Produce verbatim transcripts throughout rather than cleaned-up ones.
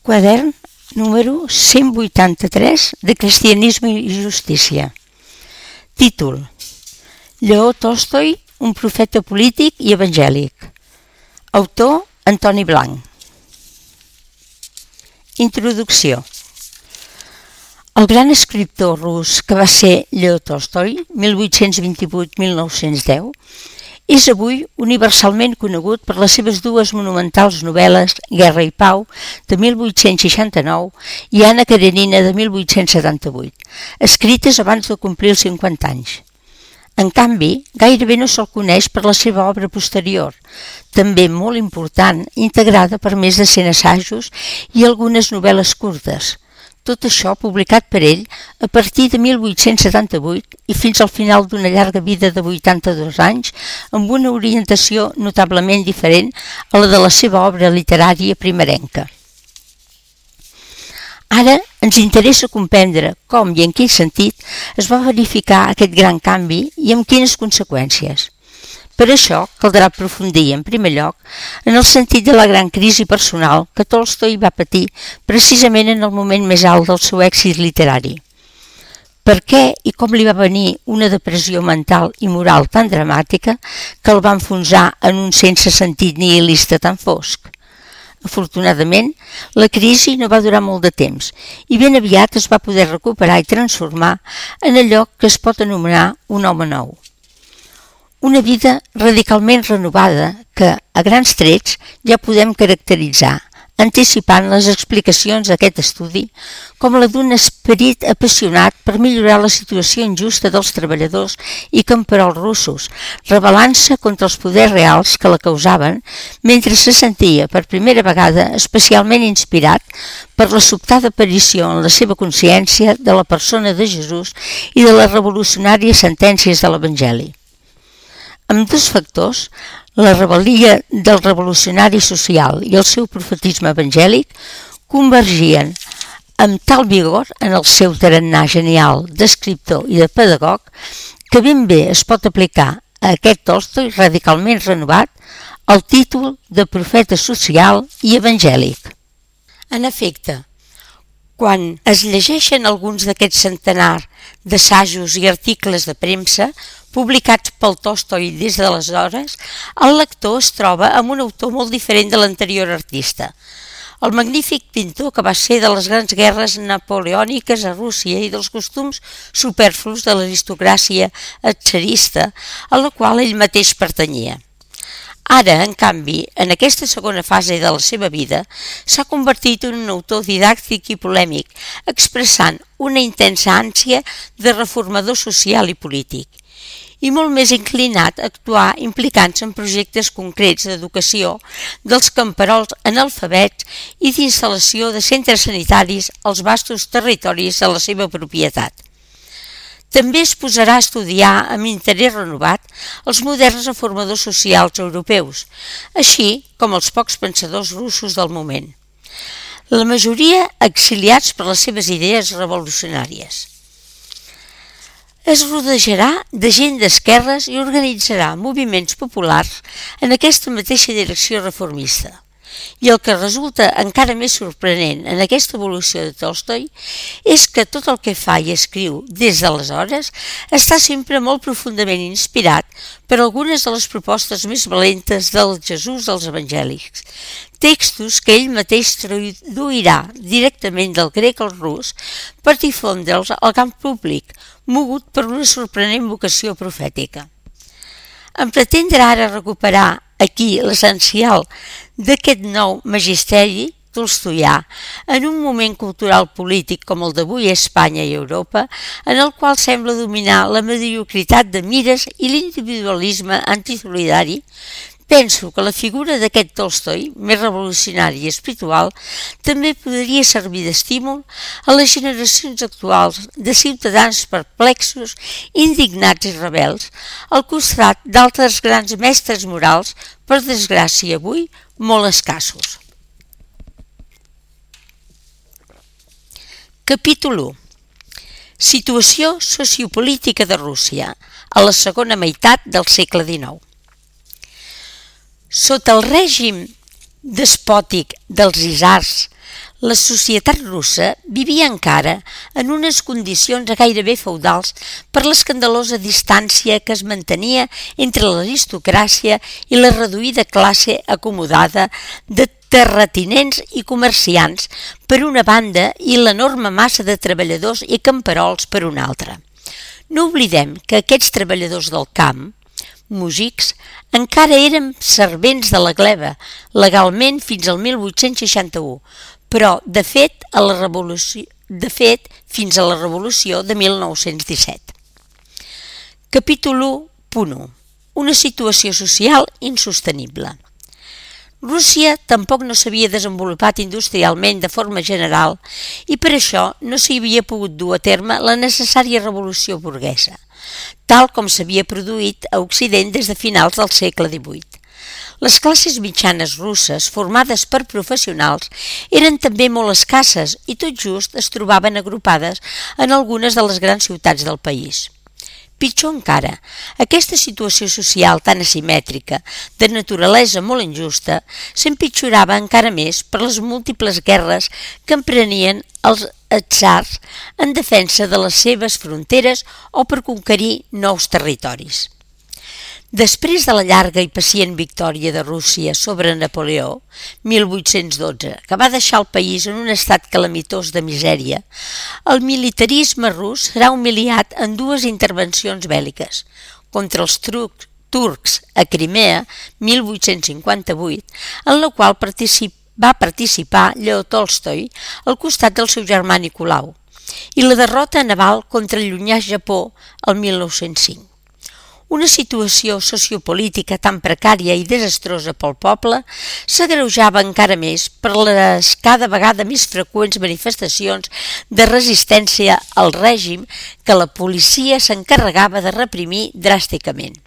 Quadern número cent vuitanta-tres de Cristianisme i Justícia. Títol: Lleó Tolstoi, un profeta polític i evangèlic. Autor: Antoni Blanc. Introducció. El gran escriptor rus que va ser Lleó Tolstoi, mil vuit-cents vint-i-vuit a mil nou-cents deu, és avui universalment conegut per les seves dues monumentals novel·les Guerra i Pau, de mil vuit-cents seixanta-nou, i Anna Karenina, de mil vuit-cents setanta-vuit, escrites abans de complir els cinquanta anys. En canvi, gairebé no se'l coneix per la seva obra posterior, també molt important, integrada per més de cent assajos i algunes novel·les curtes. Tot això publicat per ell a partir de mil vuit-cents setanta-vuit i fins al final d'una llarga vida de vuitanta-dos anys, amb una orientació notablement diferent a la de la seva obra literària primerenca. Ara ens interessa comprendre com i en quin sentit es va verificar aquest gran canvi i amb quines conseqüències. Per això caldrà aprofundir, en primer lloc, en el sentit de la gran crisi personal que Tolstoi va patir precisament en el moment més alt del seu èxit literari. Per què i com li va venir una depressió mental i moral tan dramàtica que el va enfonsar en un sense sentit nihilista tan fosc? Afortunadament, la crisi no va durar molt de temps i ben aviat es va poder recuperar i transformar en allò que es pot anomenar un home nou. Una vida radicalment renovada que, a grans trets, ja podem caracteritzar, anticipant les explicacions d'aquest estudi com la d'un esperit apassionat per millorar la situació injusta dels treballadors i camperols russos, rebel·lant-se contra els poders reals que la causaven, mentre se sentia per primera vegada especialment inspirat per la sobtada aparició en la seva consciència de la persona de Jesús i de les revolucionàries sentències de l'Evangeli. Amb dos factors, la rebel·lia del revolucionari social i el seu profetisme evangèlic, convergien amb tal vigor en el seu tarannà genial d'escriptor i de pedagog que ben bé es pot aplicar a aquest Tolstoi radicalment renovat el títol de profeta social i evangèlic. En efecte, quan es llegeixen alguns d'aquests centenars d'assajos i articles de premsa publicats pel Tolstoi des d'aleshores, el lector es troba amb un autor molt diferent de l'anterior artista. El magnífic pintor que va ser de les grans guerres napoleòniques a Rússia i dels costums superflus de l'aristocràcia tsarista a la qual ell mateix pertanyia. Ara, en canvi, en aquesta segona fase de la seva vida, s'ha convertit en un autor didàctic i polèmic, expressant una intensa ànsia de reformador social i polític, i molt més inclinat a actuar implicant-se en projectes concrets d'educació dels camperols analfabets i d'instal·lació de centres sanitaris als vastos territoris de la seva propietat. També es posarà a estudiar amb interès renovat els moderns reformadors socials europeus, així com els pocs pensadors russos del moment, la majoria exiliats per les seves idees revolucionàries. Es rodejarà de gent d'esquerres i organitzarà moviments populars en aquesta mateixa direcció reformista. I el que resulta encara més sorprenent en aquesta evolució de Tolstoi és que tot el que fa i escriu des d'aleshores està sempre molt profundament inspirat per algunes de les propostes més valentes del Jesús dels evangèlics, textos que ell mateix traduirà directament del grec al rus per difondre'ls al camp públic, mogut per una sorprenent vocació profètica. En pretendre ara recuperar aquí l'essencial d'aquest nou magisteri tolstoià en un moment cultural polític com el d'avui a Espanya i Europa, en el qual sembla dominar la mediocritat de mires i l'individualisme antisolidari, penso que la figura d'aquest Tolstoi, més revolucionari i espiritual, també podria servir d'estímul a les generacions actuals de ciutadans perplexos, indignats i rebels, al costat d'altres grans mestres morals, per desgràcia avui, molt escassos. Capítol u. Situació sociopolítica de Rússia a la segona meitat del segle dinou. Sota el règim despòtic dels isars, La societat russa vivia encara en unes condicions gairebé feudals per l'escandalosa distància que es mantenia entre l'aristocràcia i la reduïda classe acomodada de terratinents i comerciants per una banda i l'enorme massa de treballadors i camperols per una altra. No oblidem que aquests treballadors del camp, músics, encara eren servents de la gleba, legalment fins al mil vuit-cents seixanta-u, però, de fet, a la revolució, de fet, fins a la revolució de mil nou-cents disset. Capítol u punt u. Una situació social insostenible. Rússia tampoc no s'havia desenvolupat industrialment de forma general i per això no s'hi havia pogut dur a terme la necessària revolució burguesa, tal com s'havia produït a Occident des de finals del segle divuit. Les classes mitjanes russes, formades per professionals, eren també molt escasses i tot just es trobaven agrupades en algunes de les grans ciutats del país. Pitjor encara, aquesta situació social tan asimètrica, de naturalesa molt injusta, s'empitjorava encara més per les múltiples guerres que emprenien els tsars en defensa de les seves fronteres o per conquerir nous territoris. Després de la llarga i pacient victòria de Rússia sobre Napoleó, mil vuit-cents dotze, que va deixar el país en un estat calamitós de misèria, el militarisme rus serà humiliat en dues intervencions bèl·liques, contra els trucs, turcs a Crimea, mil vuit-cents cinquanta-vuit, en la qual particip, va participar Lleó Tolstoi al costat del seu germà Nicolau, i la derrota naval contra el llunyà Japó el mil nou-cents cinc. Una situació sociopolítica tan precària i desastrosa pel poble s'agreujava encara més per les cada vegada més freqüents manifestacions de resistència al règim que la policia s'encarregava de reprimir dràsticament.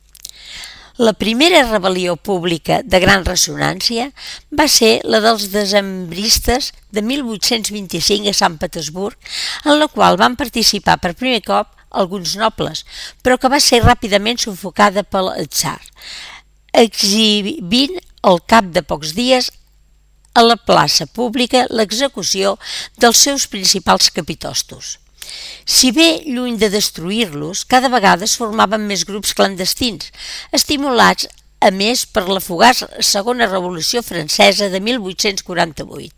La primera rebel·lió pública de gran ressonància va ser la dels decembristes de mil vuit-cents vint-i-cinc a Sant Petersburg, en la qual van participar per primer cop alguns nobles, però que va ser ràpidament sufocada pel tsar, exhibint al cap de pocs dies a la plaça pública l'execució dels seus principals capitostos. Si bé, lluny de destruir-los, cada vegada es formaven més grups clandestins, estimulats a més per la fugaç Segona Revolució Francesa de mil vuit-cents quaranta-vuit,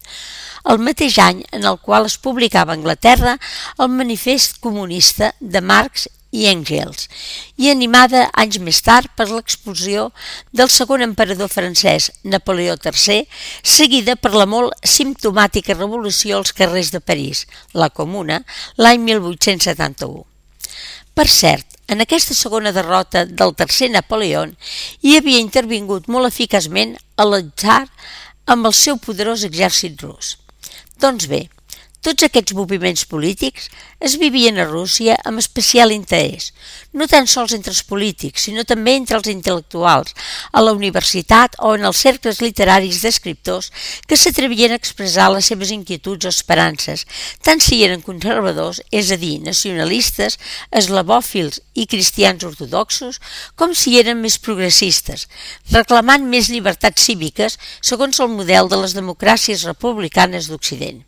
el mateix any en el qual es publicava a Anglaterra el Manifest Comunista de Marx i Engels, i animada anys més tard per l'expulsió del segon emperador francès, Napoleó tercer, seguida per la molt simptomàtica revolució als carrers de París, la Comuna, l'any mil vuit-cents setanta-u. Per cert, en aquesta segona derrota del tercer Napoleó hi havia intervingut molt eficaçment el tsar amb el seu poderós exèrcit rus. Doncs bé, tots aquests moviments polítics es vivien a Rússia amb especial interès, no tan sols entre els polítics, sinó també entre els intel·lectuals, a la universitat o en els cercles literaris d'escriptors que s'atrevien a expressar les seves inquietuds o esperances, tant si eren conservadors, és a dir, nacionalistes, eslavòfils i cristians ortodoxos, com si eren més progressistes, reclamant més llibertats cíviques segons el model de les democràcies republicanes d'Occident.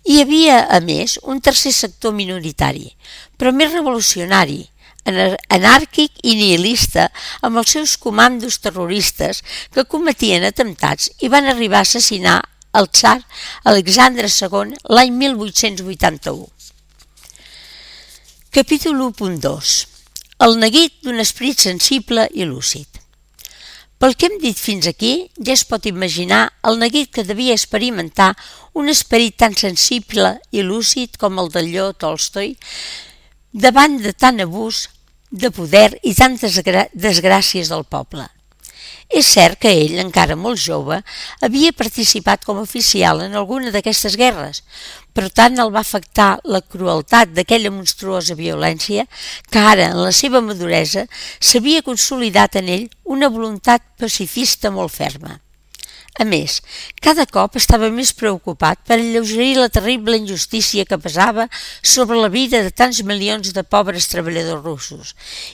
Hi havia, a més, un tercer sector minoritari, però més revolucionari, anàrquic i nihilista, amb els seus comandos terroristes que cometien atemptats i van arribar a assassinar el tsar Alexandre segon l'any mil vuit-cents vuitanta-u. Capítol u punt dos. El neguit d'un esperit sensible i lúcid. Pel que hem dit fins aquí, ja es pot imaginar el neguit que devia experimentar un esperit tan sensible i lúcid com el del Lleó Tolstoi davant de tant abús de poder i tantes desgràcies del poble. És cert que ell, encara molt jove, havia participat com a oficial en alguna d'aquestes guerres, però tant el va afectar la crueltat d'aquella monstruosa violència que ara, en la seva maduresa, s'havia consolidat en ell una voluntat pacifista molt ferma. A més, cada cop estava més preocupat per alleugerir la terrible injustícia que pesava sobre la vida de tants milions de pobres treballadors russos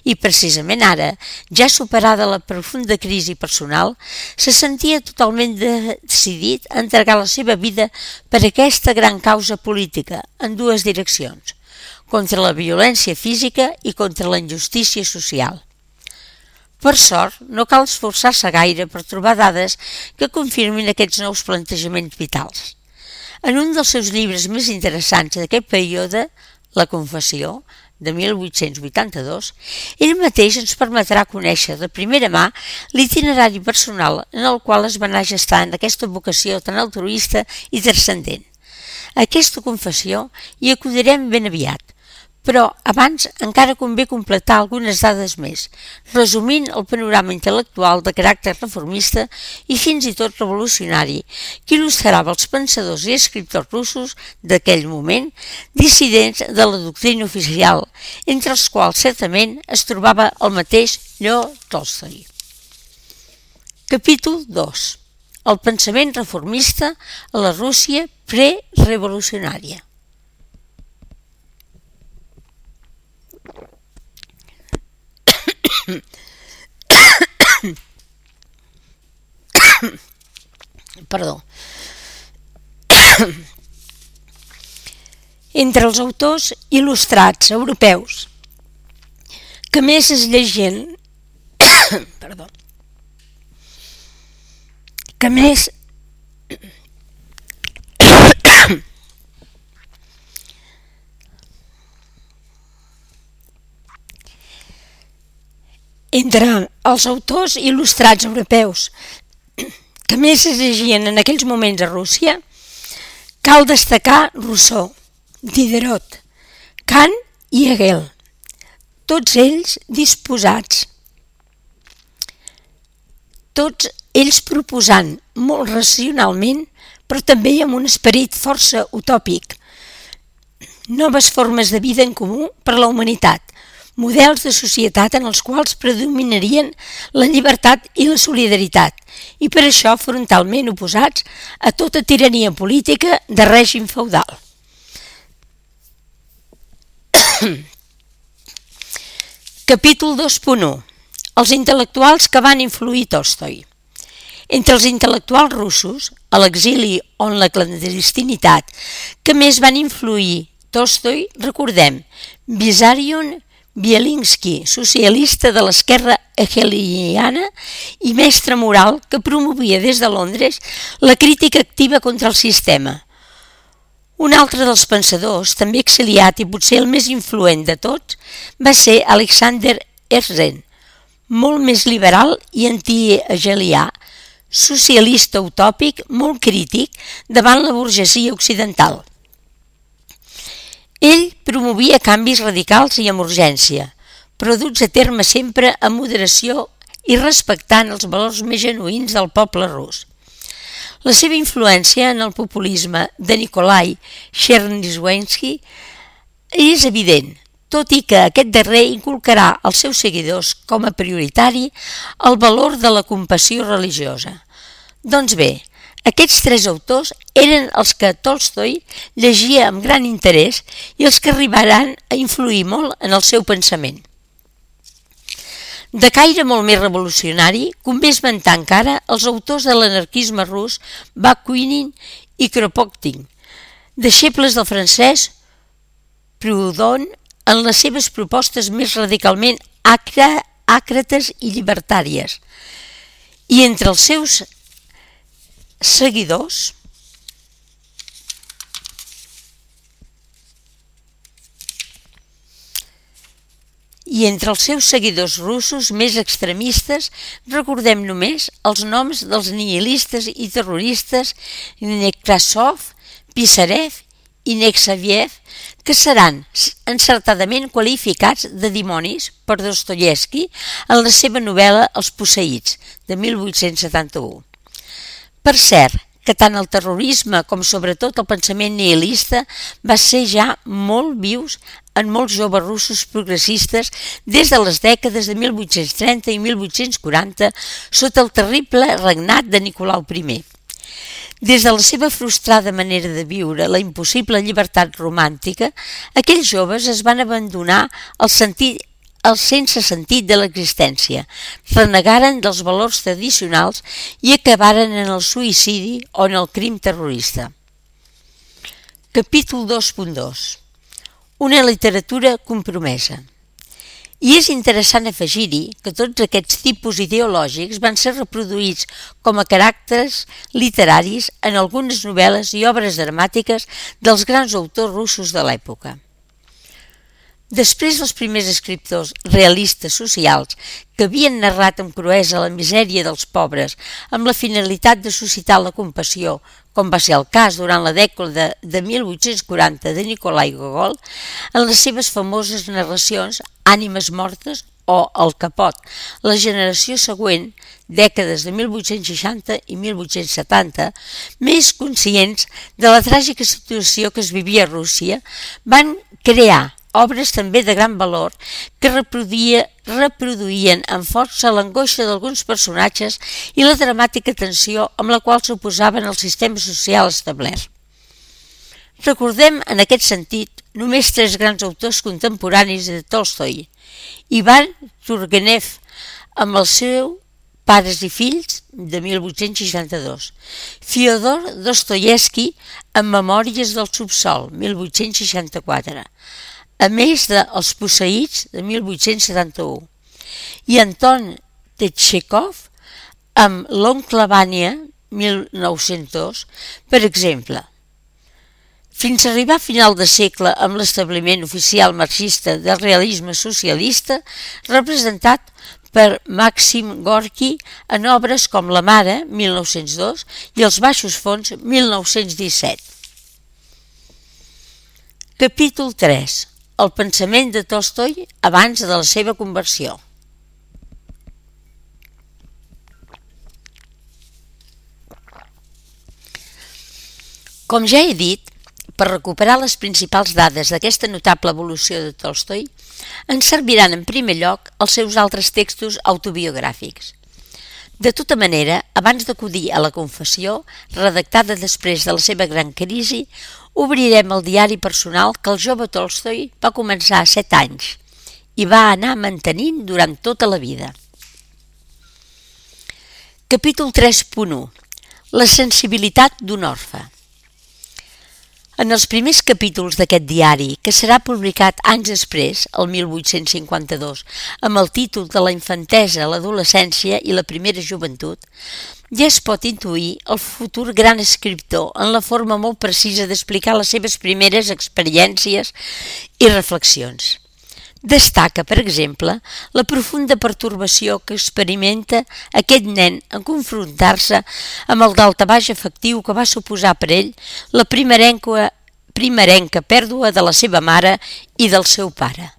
i, precisament ara, ja superada la profunda crisi personal, se sentia totalment decidit a entregar la seva vida per aquesta gran causa política en dues direccions, contra la violència física i contra la injustícia social. Per sort, no cal esforçar-se gaire per trobar dades que confirmin aquests nous plantejaments vitals. En un dels seus llibres més interessants d'aquest període, La Confessió, de mil vuit-cents vuitanta-dos, ell mateix ens permetrà conèixer de primera mà l'itinerari personal en el qual es va anar gestant aquesta vocació tan altruista i transcendent. A aquesta confessió hi acudirem ben aviat, però abans encara convé completar algunes dades més, resumint el panorama intel·lectual de caràcter reformista i fins i tot revolucionari que il·lustrava els pensadors i escriptors russos d'aquell moment, dissidents de la doctrina oficial, entre els quals certament es trobava el mateix Leo Tolstoi. Capítol dos. El pensament reformista a la Rússia prerevolucionària. Perdó. Entre els autors il·lustrats europeus que més es llegien perdó que més Entre els autors il·lustrats europeus que més es llegien en aquells moments a Rússia, cal destacar Rousseau, Diderot, Kant i Hegel, tots ells disposats, tots ells proposant molt racionalment, però també amb un esperit força utòpic, noves formes de vida en comú per a la humanitat, models de societat en els quals predominarien la llibertat i la solidaritat, i per això frontalment oposats a tota tirania política de règim feudal. Capítol dos punt u. Els intel·lectuals que van influir Tolstoi. Entre els intel·lectuals russos, a l'exili o en la clandestinitat, que més van influir Tolstoi, recordem Vissarion Bielinski, socialista de l'esquerra hegeliana i mestre moral que promovia des de Londres la crítica activa contra el sistema. Un altre dels pensadors, també exiliat i potser el més influent de tots, va ser Alexander Herzen, molt més liberal i anti-hegelià, socialista utòpic, molt crític davant la burgesia occidental. Ell promovia canvis radicals i amb urgència, però duts a terme sempre amb moderació i respectant els valors més genuïns del poble rus. La seva influència en el populisme de Nikolai Chernyshevsky és evident, tot i que aquest darrer inculcarà als seus seguidors com a prioritari el valor de la compassió religiosa. Doncs bé, aquests tres autors eren els que Tolstoi llegia amb gran interès i els que arribaran a influir molt en el seu pensament. De caire molt més revolucionari, convé esmentar encara els autors de l'anarquisme rus Bakunin i Kropotkin, deixebles del francès Proudhon en les seves propostes més radicalment àcrates i llibertàries, i entre els seus seguidors i entre els seus seguidors russos més extremistes recordem només els noms dels nihilistes i terroristes Nekrasov, Pisarev i Nekrasov, que seran encertadament qualificats de dimonis per Dostoievski en la seva novel·la Els posseïts, de mil vuit-cents setanta-u. Per cert, que tant el terrorisme com sobretot el pensament nihilista va ser ja molt vius en molts joves russos progressistes des de les dècades de mil vuit-cents trenta i mil vuit-cents quaranta sota el terrible regnat de Nicolau primer. Des de la seva frustrada manera de viure la impossible llibertat romàntica, aquells joves es van abandonar el sentit el sense sentit de l'existència, renegaren dels valors tradicionals i acabaren en el suïcidi o en el crim terrorista. Capítol dos punt dos. Una literatura compromesa. I és interessant afegir-hi que tots aquests tipus ideològics van ser reproduïts com a caràcters literaris en algunes novel·les i obres dramàtiques dels grans autors russos de l'època. Després dels primers escriptors realistes socials que havien narrat amb cruesa la misèria dels pobres amb la finalitat de suscitar la compassió, com va ser el cas durant la dècada de mil vuit-cents quaranta de Nikolai Gogol, en les seves famoses narracions Ànimes mortes o El capot, la generació següent, dècades de mil vuit-cents seixanta i mil vuit-cents setanta, més conscients de la tràgica situació que es vivia a Rússia, van crear obres també de gran valor que reproduïa, reproduïen amb força l'angoixa d'alguns personatges i la dramàtica tensió amb la qual s'oposaven al sistema social establert. Recordem en aquest sentit només tres grans autors contemporanis de Tolstoi: Ivan Turgenev amb el seu Pares i fills de mil vuit-cents seixanta-dos, Fyodor Dostoievski amb Memòries del subsol mil vuit-cents seixanta-quatre, a més de Els posseïts de mil vuit-cents setanta-u, i Anton Txékhov amb L'oncle Vanya mil nou-cents dos, per exemple. Fins a arribar a final de segle amb l'establiment oficial marxista del realisme socialista, representat per Màxim Gorki en obres com La mare mil nou-cents dos i Els baixos fons mil nou-cents disset. Capítol tres. El pensament de Tolstoi abans de la seva conversió. Com ja he dit, per recuperar les principals dades d'aquesta notable evolució de Tolstoi, ens serviran en primer lloc els seus altres textos autobiogràfics. De tota manera, abans d'acudir a la confessió, redactada després de la seva gran crisi, obrirem el diari personal que el jove Tolstoi va començar a set anys i va anar mantenint durant tota la vida. Capítol tres punt u. La sensibilitat d'un orfe. En els primers capítols d'aquest diari, que serà publicat anys després, el mil vuit-cents cinquanta-dos, amb el títol de La infantesa, l'adolescència i la primera joventut, ja es pot intuir el futur gran escriptor en la forma molt precisa d'explicar les seves primeres experiències i reflexions. Destaca, per exemple, la profunda pertorbació que experimenta aquest nen en confrontar-se amb el daltabaix afectiu que va suposar per ell la primerenca, primerenca pèrdua de la seva mare i del seu pare.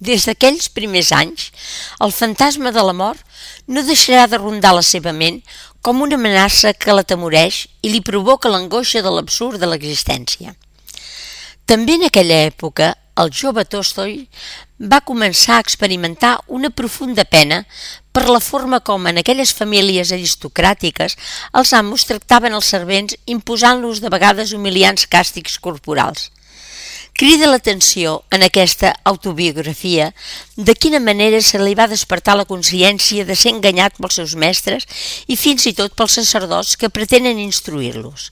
Des d'aquells primers anys, el fantasma de la mort no deixarà de rondar la seva ment com una amenaça que l'atemoreix i li provoca l'angoixa de l'absurd de l'existència. També en aquella època, el jove Tolstoi va començar a experimentar una profunda pena per la forma com en aquelles famílies aristocràtiques els amos tractaven els servents imposant-los de vegades humiliants càstigs corporals. Crida l'atenció en aquesta autobiografia de quina manera se li va despertar la consciència de ser enganyat pels seus mestres i fins i tot pels sacerdots que pretenen instruir-los.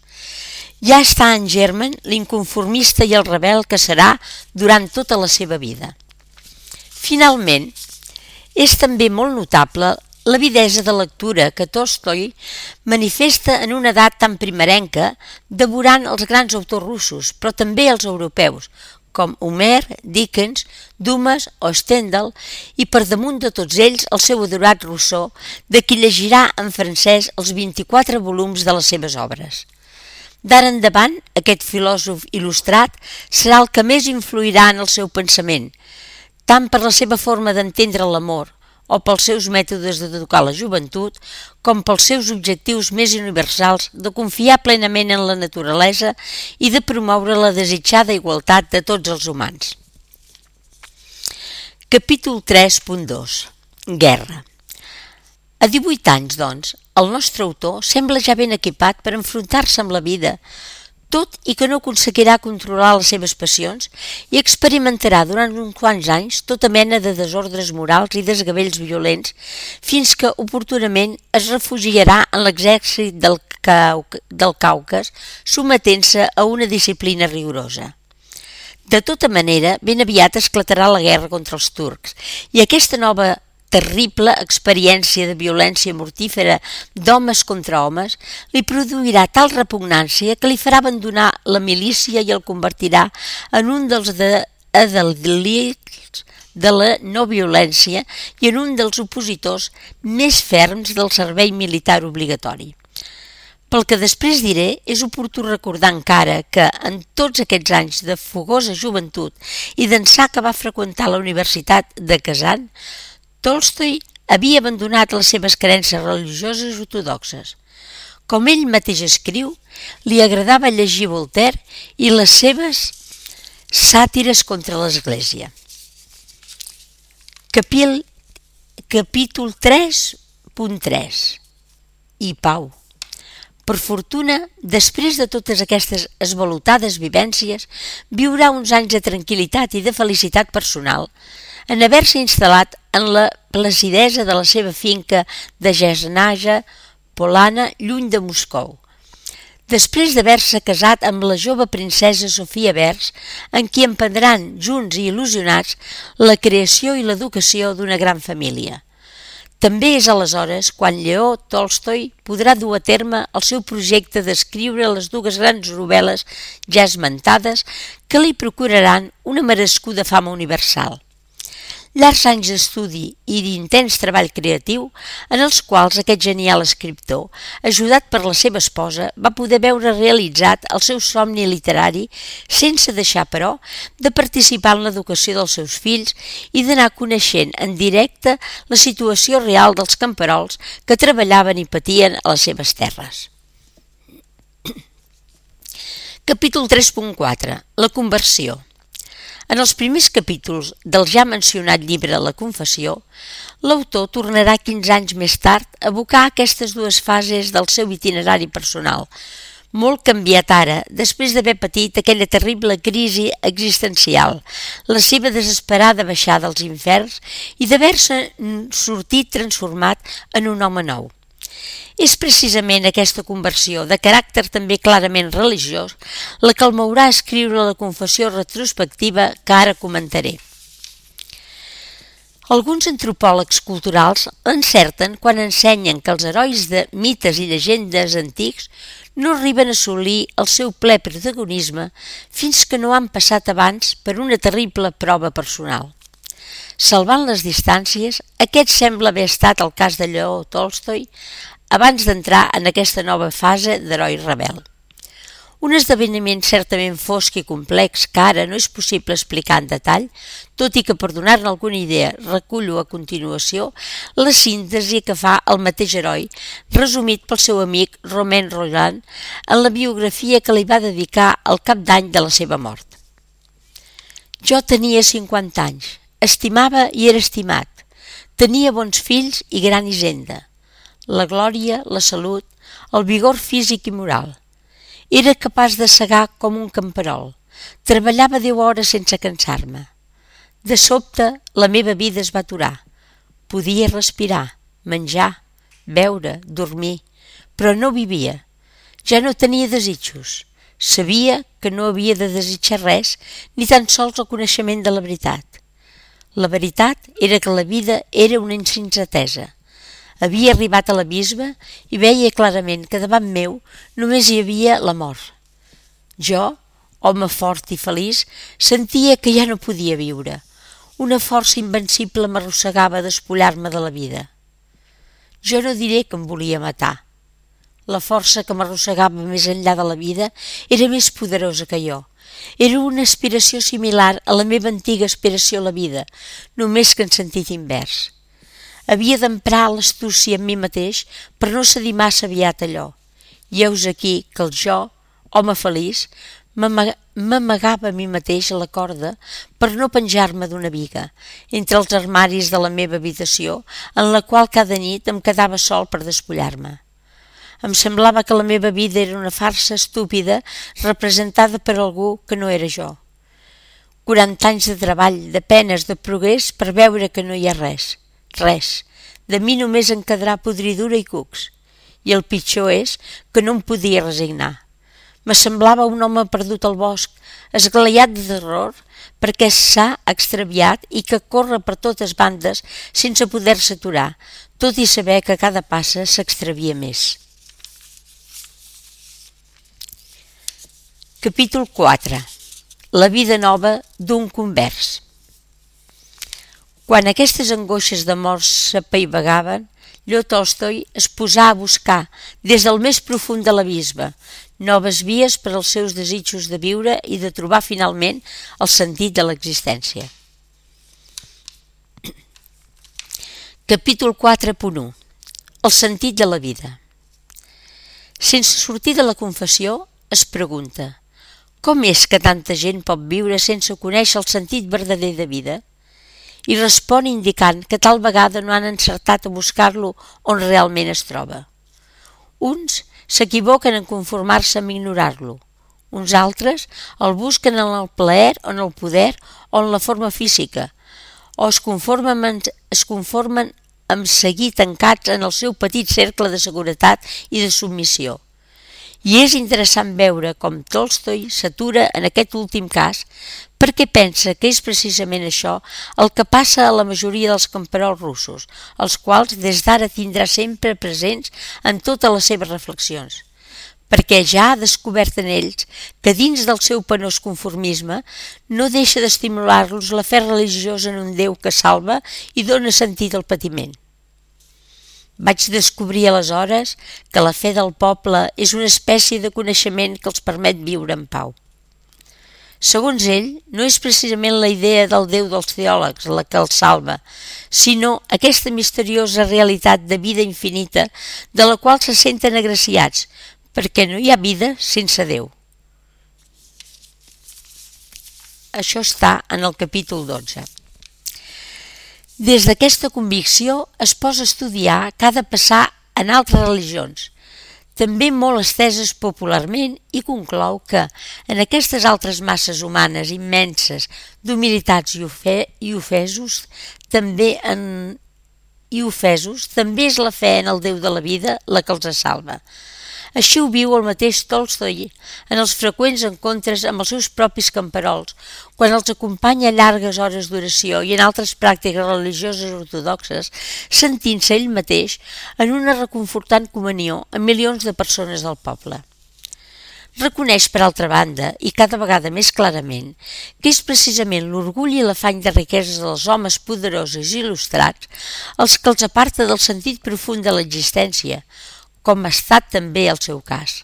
Ja està en germen l'inconformista i el rebel que serà durant tota la seva vida. Finalment, és també molt notable l'avidesa de lectura que Tolstoi manifesta en una edat tan primerenca devorant els grans autors russos, però també els europeus, com Homer, Dickens, Dumas o Stendhal, i per damunt de tots ells el seu adorat Rousseau, de qui llegirà en francès els vint-i-quatre volums de les seves obres. D'ara endavant, aquest filòsof il·lustrat serà el que més influirà en el seu pensament, tant per la seva forma d'entendre l'amor o pels seus mètodes d'educar la joventut, com pels seus objectius més universals de confiar plenament en la naturalesa i de promoure la desitjada igualtat de tots els humans. Capítol tres punt dos. Guerra. A divuit anys, doncs, El nostre autor sembla ja ben equipat per enfrontar-se amb la vida, tot i que no aconseguirà controlar les seves passions i experimentarà durant uns quants anys tota mena de desordres morals i desgavells violents fins que oportunament es refugiarà en l'exèrcit del, Cau del Caucas, sometent-se a una disciplina rigorosa. De tota manera, ben aviat esclatarà la guerra contra els turcs i aquesta nova terrible experiència de violència mortífera d'homes contra homes li produirà tal repugnància que li farà abandonar la milícia i el convertirà en un dels adalils de la no violència i en un dels opositors més ferms del servei militar obligatori. Pel que després diré, és oportú recordar encara que, en tots aquests anys de fogosa joventut i d'ençà que va freqüentar la Universitat de Kazan, Tolstoi havia abandonat les seves creences religioses ortodoxes. Com ell mateix escriu, li agradava llegir Voltaire i les seves sàtires contra l'Església. Capil, capítol tres punt tres. I Pau. Per fortuna, després de totes aquestes esvalotades vivències, viurà uns anys de tranquil·litat i de felicitat personal, en haver-se instal·lat en la placidesa de la seva finca de Jasnaja Polana, lluny de Moscou. Després d'haver-se casat amb la jove princesa Sofia Vers, en qui emprendran, junts i il·lusionats, la creació i l'educació d'una gran família. També és aleshores quan Lleó Tolstoi podrà dur a terme el seu projecte d'escriure les dues grans novel·les ja esmentades que li procuraran una merescuda fama universal. Llargs anys d'estudi i d'intens treball creatiu en els quals aquest genial escriptor, ajudat per la seva esposa, va poder veure realitzat el seu somni literari sense deixar, però, de participar en l'educació dels seus fills i d'anar coneixent en directe la situació real dels camperols que treballaven i patien a les seves terres. Capítol tres punt quatre. La conversió. En els primers capítols del ja mencionat llibre La Confessió, l'autor tornarà quinze anys més tard a evocar aquestes dues fases del seu itinerari personal, molt canviat ara, després d'haver patit aquella terrible crisi existencial, la seva desesperada baixada als inferns i d'haver-se sortit transformat en un home nou. És precisament aquesta conversió, de caràcter també clarament religiós, la que el mourà a escriure la confessió retrospectiva que ara comentaré. Alguns antropòlegs culturals encerten quan ensenyen que els herois de mites i llegendes antics no arriben a assolir el seu ple protagonisme fins que no han passat abans per una terrible prova personal. Salvant les distàncies, aquest sembla haver estat el cas de Lleó Tolstoi abans d'entrar en aquesta nova fase d'heroi rebel. Un esdeveniment certament fosc i complex que ara no és possible explicar en detall, tot i que per donar-ne alguna idea recullo a continuació la síntesi que fa el mateix heroi, resumit pel seu amic Romain Rolland en la biografia que li va dedicar al cap d'any de la seva mort. Jo tenia cinquanta anys, estimava i era estimat, tenia bons fills i gran hisenda, la glòria, la salut, el vigor físic i moral. Era capaç de segar com un camperol. Treballava deu hores sense cansar-me. De sobte, la meva vida es va aturar. Podia respirar, menjar, beure, dormir, però no vivia. Ja no tenia desitjos. Sabia que no havia de desitjar res, ni tan sols el coneixement de la veritat. La veritat era que la vida era una insensatesa. Havia arribat a l'abisme i veia clarament que davant meu només hi havia la mort. Jo, home fort i feliç, sentia que ja no podia viure. Una força invencible m'arrossegava a despullar-me de la vida. Jo no diré que em volia matar. La força que m'arrossegava més enllà de la vida era més poderosa que jo. Era una aspiració similar a la meva antiga aspiració a la vida, només que en sentit invers. Havia d'emprar l'astúcia en mi mateix per no cedir massa aviat allò. I heus aquí que el jo, home feliç, m'amagava a mi mateix a la corda per no penjar-me d'una biga, entre els armaris de la meva habitació, en la qual cada nit em quedava sol per despullar-me. Em semblava que la meva vida era una farsa estúpida representada per algú que no era jo. Quaranta anys de treball, de penes, de progrés per veure que no hi ha res. Res. De mi només en quedarà podridura i cucs. I el pitjor és que no em podia resignar. Me semblava un home perdut al bosc, esglaiat de terror perquè s'ha extraviat i que corre per totes bandes sense poder-se aturar, tot i saber que cada passa s'extravia més. Capítol quatre. La vida nova d'un convers. Quan aquestes angoixes de mort s'apaivagaven, Leo Tolstoi es posà a buscar, des del més profund de l'abisme, noves vies per als seus desitjos de viure i de trobar finalment el sentit de l'existència. Capítol quatre punt u. El sentit de la vida. Sense sortir de la confessió, es pregunta: com és que tanta gent pot viure sense conèixer el sentit verdader de vida? I respon indicant que tal vegada no han encertat a buscar-lo on realment es troba. Uns s'equivoquen en conformar-se amb ignorar-lo. Uns altres el busquen en el plaer o en el poder o en la forma física, o es conformen, en, es conformen amb seguir tancats en el seu petit cercle de seguretat i de submissió. I és interessant veure com Tolstoi s'atura en aquest últim cas perquè pensa que és precisament això el que passa a la majoria dels camperols russos, els quals des d'ara tindrà sempre presents en totes les seves reflexions, perquè ja ha descobert en ells que dins del seu penós conformisme no deixa d'estimular-los la fe religiosa en un Déu que salva i dóna sentit al patiment. Vaig descobrir aleshores que la fe del poble és una espècie de coneixement que els permet viure en pau. Segons ell, no és precisament la idea del Déu dels teòlegs la que els salva, sinó aquesta misteriosa realitat de vida infinita de la qual se senten agraciats, perquè no hi ha vida sense Déu. Això està en el capítol dotze. Des d'aquesta convicció es posa a estudiar que ha de passar en altres religions, també molt esteses popularment, i conclou que en aquestes altres masses humanes immenses d'humilitats i, ofe i ofesos també en i ofesos també és la fe en el Déu de la vida la que els salva. Així ho viu el mateix Tolstoi en els freqüents encontres amb els seus propis camperols, quan els acompanya a llargues hores d'oració i en altres pràctiques religioses ortodoxes, sentint-se ell mateix en una reconfortant comunió amb milions de persones del poble. Reconeix, per altra banda, i cada vegada més clarament, que és precisament l'orgull i l'afany de riqueses dels homes poderosos i il·lustrats els que els aparta del sentit profund de l'existència, com ha estat també el seu cas.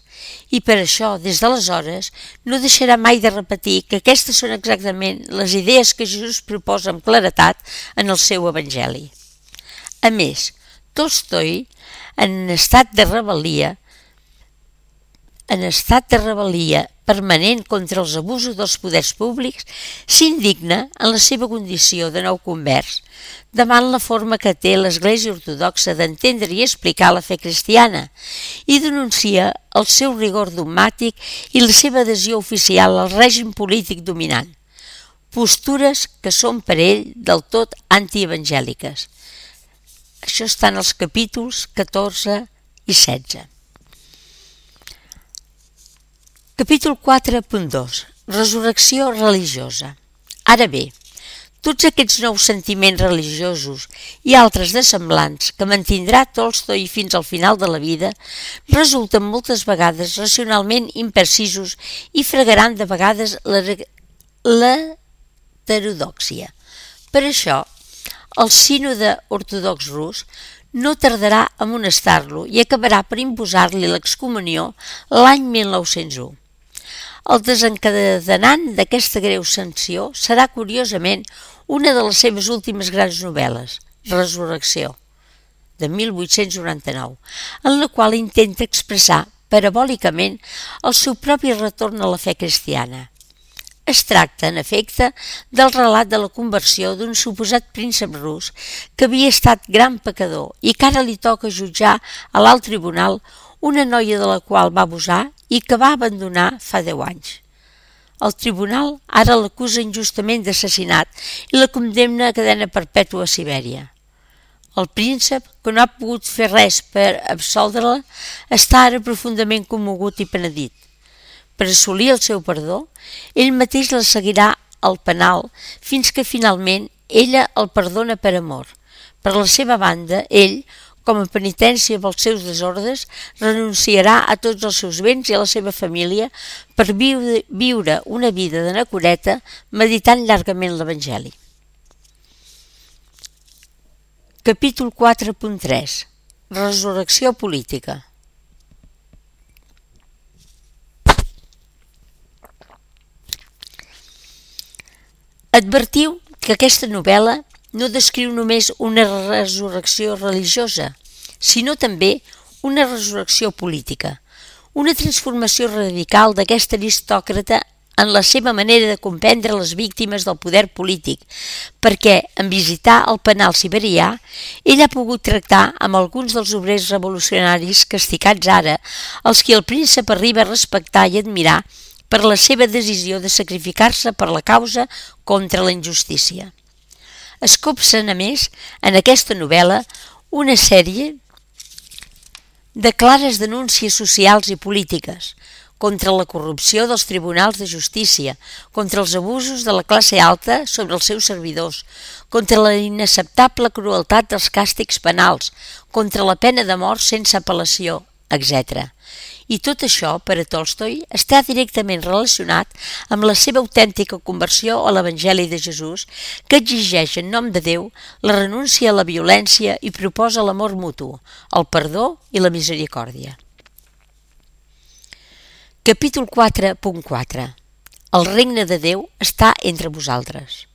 I per això, des d'aleshores, no deixarà mai de repetir que aquestes són exactament les idees que Jesús proposa amb claretat en el seu Evangeli. A més, Tolstoi, en estat de rebel·lia, en estat de rebel·lia permanent contra els abusos dels poders públics, s'indigna en la seva condició de nou convers, davant la forma que té l'Església Ortodoxa d'entendre i explicar la fe cristiana, i denuncia el seu rigor dogmàtic i la seva adhesió oficial al règim polític dominant, postures que són per ell del tot antievangèliques. Això està en els capítols catorze i setze. Capítol quatre punt dos. Resurrecció religiosa. Ara bé, tots aquests nous sentiments religiosos i altres de semblants que mantindrà Tolstoi fins al final de la vida resulten moltes vegades racionalment imprecisos i fregaran de vegades l'heterodòxia. Per això, el sínode ortodox rus no tardarà a amonestar-lo i acabarà per imposar-li l'excomunió l'any mil nou-cents u. El desencadenant d'aquesta greu sanció serà, curiosament, una de les seves últimes grans novel·les, Resurrecció, de mil vuit-cents noranta-nou, en la qual intenta expressar parabòlicament el seu propi retorn a la fe cristiana. Es tracta, en efecte, del relat de la conversió d'un suposat príncep rus que havia estat gran pecador i que ara li toca jutjar a l'alt tribunal una noia de la qual va abusar i que va abandonar fa deu anys. El tribunal ara l'acusa injustament d'assassinat i la condemna a cadena perpètua a Sibèria. El príncep, que no ha pogut fer res per absoldre-la, està ara profundament commogut i penedit. Per assolir el seu perdó, ell mateix la seguirà al penal fins que finalment ella el perdona per amor. Per la seva banda, ell, com a penitència pels seus desordres, renunciarà a tots els seus béns i a la seva família per viure una vida d'anacoreta meditant llargament l'Evangeli. Capítol quatre punt tres. Resurrecció política. Advertiu que aquesta novel·la no descriu només una resurrecció religiosa, sinó també una resurrecció política, una transformació radical d'aquest aristòcrata en la seva manera de comprendre les víctimes del poder polític, perquè, en visitar el penal siberià, ell ha pogut tractar amb alguns dels obrers revolucionaris castigats ara, els que el príncep arriba a respectar i admirar per la seva decisió de sacrificar-se per la causa contra la injustícia. Es copsen, a més, en aquesta novel·la, una sèrie de clares denúncies socials i polítiques contra la corrupció dels tribunals de justícia, contra els abusos de la classe alta sobre els seus servidors, contra la inacceptable crueltat dels càstigs penals, contra la pena de mort sense apel·lació, etcètera. I tot això, per a Tolstoi, està directament relacionat amb la seva autèntica conversió a l'Evangeli de Jesús, que exigeix en nom de Déu la renúncia a la violència i proposa l'amor mutu, el perdó i la misericòrdia. Capítol quatre punt quatre. El regne de Déu està entre vosaltres.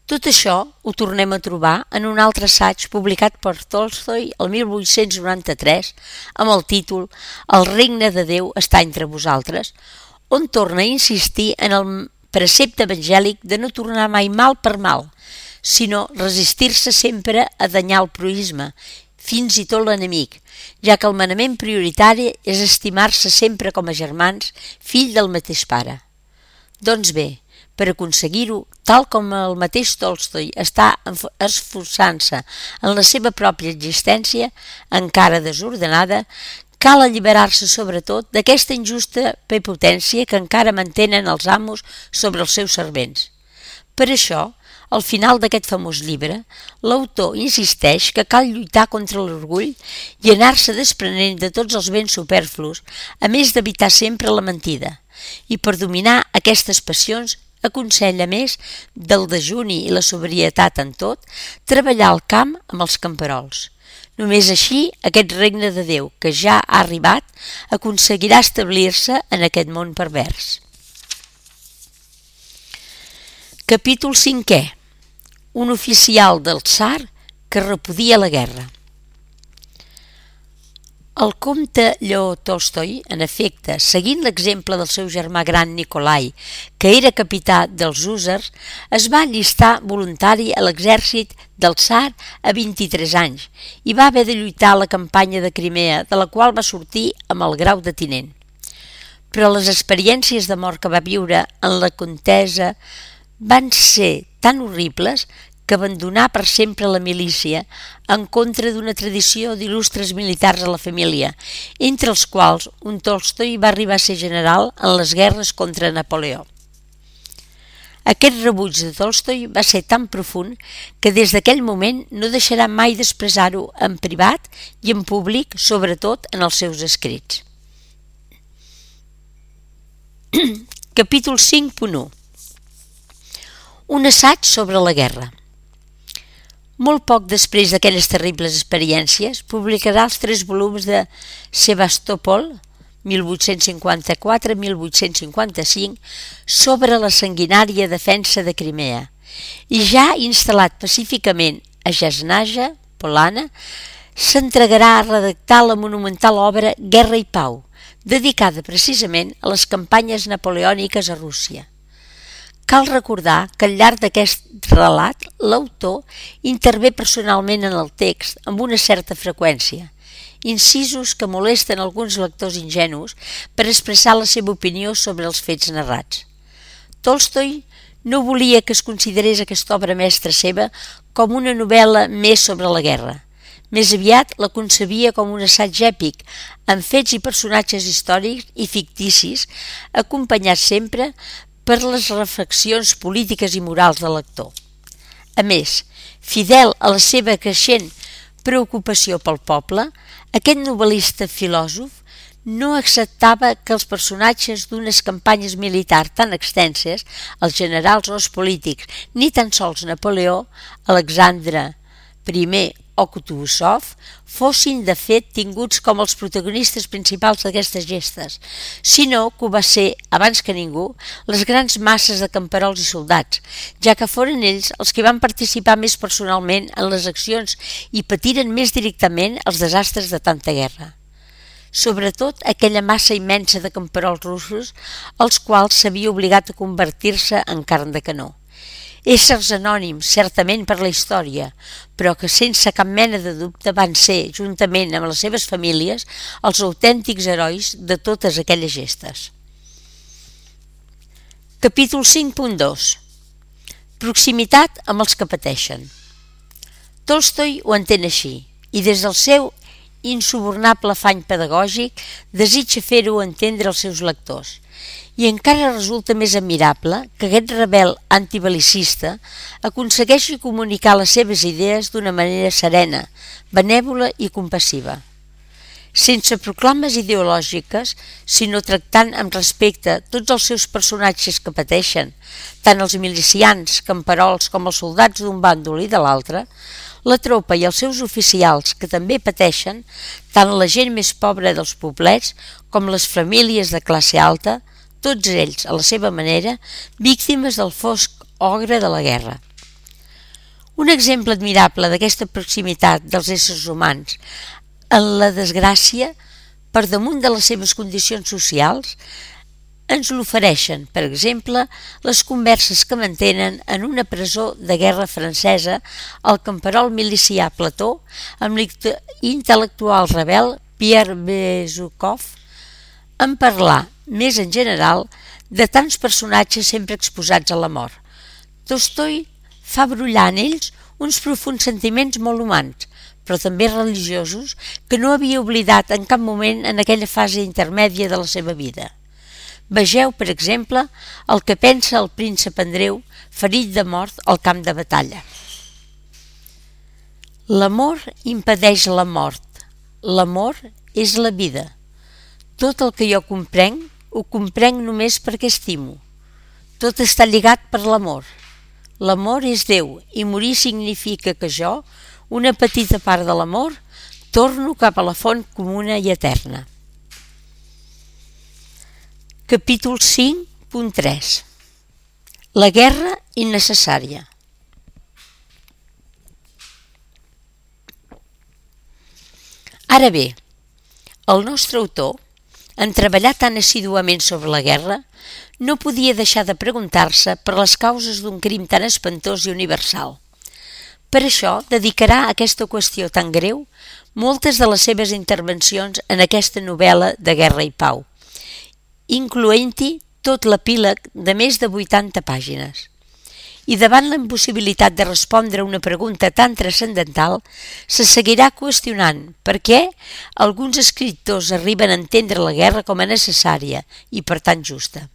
Tot això ho tornem a trobar en un altre assaig publicat per Tolstoi el mil vuit-cents noranta-tres amb el títol El regne de Déu està entre vosaltres, on torna a insistir en el precepte evangèlic de no tornar mai mal per mal, sinó resistir-se sempre a danyar el proïsme, fins i tot l'enemic, ja que el manament prioritari és estimar-se sempre com a germans, fill del mateix pare. Doncs bé, per aconseguir-ho, tal com el mateix Tolstoi està esforçant-se en la seva pròpia existència, encara desordenada, cal alliberar-se sobretot d'aquesta injusta prepotència que encara mantenen els amos sobre els seus servents. Per això, al final d'aquest famós llibre, l'autor insisteix que cal lluitar contra l'orgull i anar-se desprenent de tots els béns superflus, a més d'evitar sempre la mentida. I per dominar aquestes passions, aconsella més del dejuni i la sobrietat en tot, treballar al camp amb els camperols. Només així, aquest regne de Déu, que ja ha arribat, aconseguirà establir-se en aquest món pervers. Capítol cinquè. Un oficial del tsar que repudia la guerra. El comte Lleó Tolstoi, en efecte, seguint l'exemple del seu germà gran Nikolai, que era capità dels hússars, es va allistar voluntari a l'exèrcit del tsar a vint-i-tres anys i va haver de lluitar a la campanya de Crimea, de la qual va sortir amb el grau de tinent. Però les experiències de mort que va viure en la contesa van ser tan horribles que abandonà per sempre la milícia en contra d'una tradició d'il·lustres militars a la família, entre els quals un Tolstoi va arribar a ser general en les guerres contra Napoleó. Aquest rebuig de Tolstoi va ser tan profund que des d'aquell moment no deixarà mai d'expressar-ho en privat i en públic, sobretot en els seus escrits. Capítol cinc punt u. Un assaig sobre la guerra. Molt poc després d'aquelles terribles experiències, publicarà els tres volums de Sebastòpol, mil vuit-cents cinquanta-quatre a mil vuit-cents cinquanta-cinc, sobre la sanguinària defensa de Crimea, i ja instal·lat pacíficament a Jasnaja, Polana, s'entregarà a redactar la monumental obra Guerra i Pau, dedicada precisament a les campanyes napoleòniques a Rússia. Cal recordar que al llarg d'aquest relat l'autor intervé personalment en el text amb una certa freqüència incisos que molesten alguns lectors ingenus per expressar la seva opinió sobre els fets narrats. Tolstoi no volia que es considerés aquesta obra mestra seva com una novel·la més sobre la guerra. Més aviat la concebia com un assaig èpic, amb fets i personatges històrics i ficticis, acompanyats sempre per les reflexions polítiques i morals del lector. A més, fidel a la seva creixent preocupació pel poble, aquest novel·lista filòsof no acceptava que els personatges d'unes campanyes militars tan extenses, els generals o els polítics, ni tan sols Napoleó, Alexandre I o Kutuzov, fossin de fet tinguts com els protagonistes principals d'aquestes gestes, sinó que ho va ser, abans que ningú, les grans masses de camperols i soldats, ja que foren ells els que van participar més personalment en les accions i patiren més directament els desastres de tanta guerra. Sobretot aquella massa immensa de camperols russos, els quals s'havia obligat a convertir-se en carn de canó. Éssers anònims, certament per la història, però que sense cap mena de dubte van ser, juntament amb les seves famílies, els autèntics herois de totes aquelles gestes. Capítol cinc punt dos. Proximitat amb els que pateixen. Tolstoi ho entén així, i des del seu insubornable afany pedagògic desitja fer-ho entendre als seus lectors. I encara resulta més admirable que aquest rebel antibelicista aconsegueixi comunicar les seves idees d'una manera serena, benèvola i compassiva. Sense proclames ideològiques, sinó tractant amb respecte tots els seus personatges que pateixen, tant els milicians, camperols com els soldats d'un bàndol i de l'altre, la tropa i els seus oficials que també pateixen, tant la gent més pobra dels poblets com les famílies de classe alta, tots ells, a la seva manera, víctimes del fosc ogre de la guerra. Un exemple admirable d'aquesta proximitat dels éssers humans en la desgràcia, per damunt de les seves condicions socials, ens l'ofereixen, per exemple, les converses que mantenen en una presó de guerra francesa el camperol milicià Plató amb l'intel·lectual rebel Pierre Bezukhov, en parlar, més en general, de tants personatges sempre exposats a la mort. Tolstoi fa brollar en ells uns profunds sentiments molt humans, però també religiosos, que no havia oblidat en cap moment en aquella fase intermèdia de la seva vida. Vegeu, per exemple, el que pensa el príncep Andreu, ferit de mort al camp de batalla. L'amor impedeix la mort. L'amor és la vida. Tot el que jo comprenc, ho comprenc només perquè estimo. Tot està lligat per l'amor. L'amor és Déu i morir significa que jo, una petita part de l'amor, torno cap a la font comuna i eterna. Capítol cinc punt tres. La guerra innecessària. Ara bé, el nostre autor, en treballar tan assiduament sobre la guerra, no podia deixar de preguntar-se per les causes d'un crim tan espantós i universal. Per això dedicarà a aquesta qüestió tan greu moltes de les seves intervencions en aquesta novel·la de Guerra i Pau, incloent-hi tot l'epíleg de més de vuitanta pàgines. I davant la impossibilitat de respondre a una pregunta tan transcendental, se seguirà qüestionant per què alguns escriptors arriben a entendre la guerra com a necessària i per tant justa.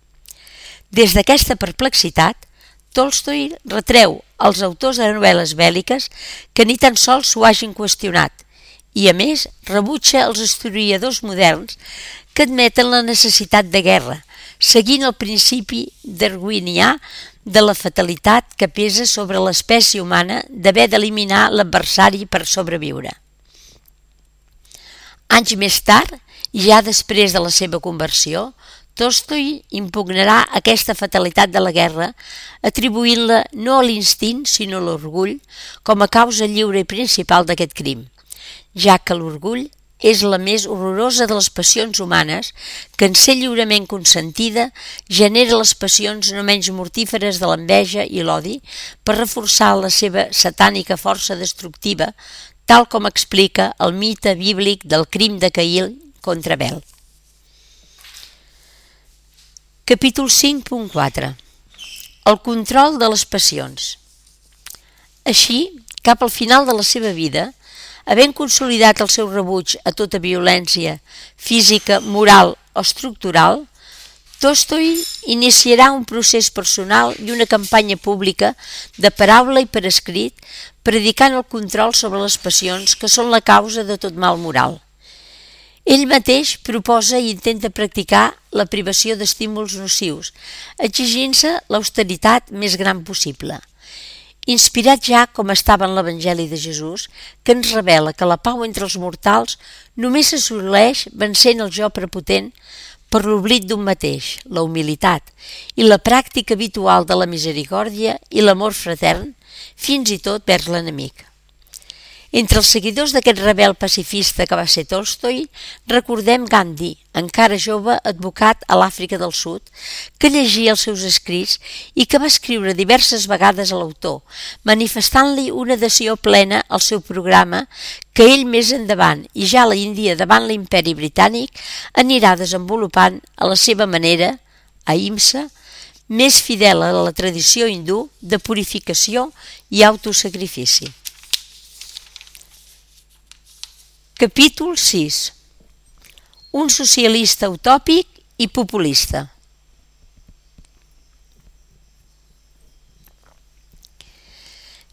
Des d'aquesta perplexitat, Tolstoi retreu als autors de novel·les bèl·liques que ni tan sols s'ho hagin qüestionat i, a més, rebutja els historiadors moderns que admeten la necessitat de guerra, seguint el principi darwinià de la fatalitat que pesa sobre l'espècie humana d'haver d'eliminar l'adversari per sobreviure. Anys més tard, ja després de la seva conversió, Tolstoi impugnarà aquesta fatalitat de la guerra, atribuint-la no a l'instint sinó a l'orgull com a causa lliure i principal d'aquest crim, ja que l'orgull és la més horrorosa de les passions humanes que, en ser lliurement consentida, genera les passions no menys mortíferes de l'enveja i l'odi per reforçar la seva satànica força destructiva tal com explica el mite bíblic del crim de Caín contra Abel. Capítol cinc punt quatre. El control de les passions. Així, cap al final de la seva vida, havent consolidat el seu rebuig a tota violència física, moral o estructural, Tolstoi iniciarà un procés personal i una campanya pública de paraula i per escrit, predicant el control sobre les passions que són la causa de tot mal moral. Ell mateix proposa i intenta practicar la privació d'estímuls nocius, exigint-se l'austeritat més gran possible. Inspirat ja com estava en l'Evangeli de Jesús, que ens revela que la pau entre els mortals només s'assoleix vencent el jo prepotent per l'oblit d'un mateix, la humilitat, i la pràctica habitual de la misericòrdia i l'amor fratern, fins i tot vers l'enemic. Entre els seguidors d'aquest rebel pacifista que va ser Tolstoi, recordem Gandhi, encara jove advocat a l'Àfrica del Sud, que llegia els seus escrits i que va escriure diverses vegades a l'autor, manifestant-li una adhesió plena al seu programa que ell més endavant, i ja a la Índia davant l'imperi britànic, anirà desenvolupant a la seva manera, ahimsa, més fidel a la tradició hindú de purificació i autosacrifici. Capítol sis. Un socialista utòpic i populista.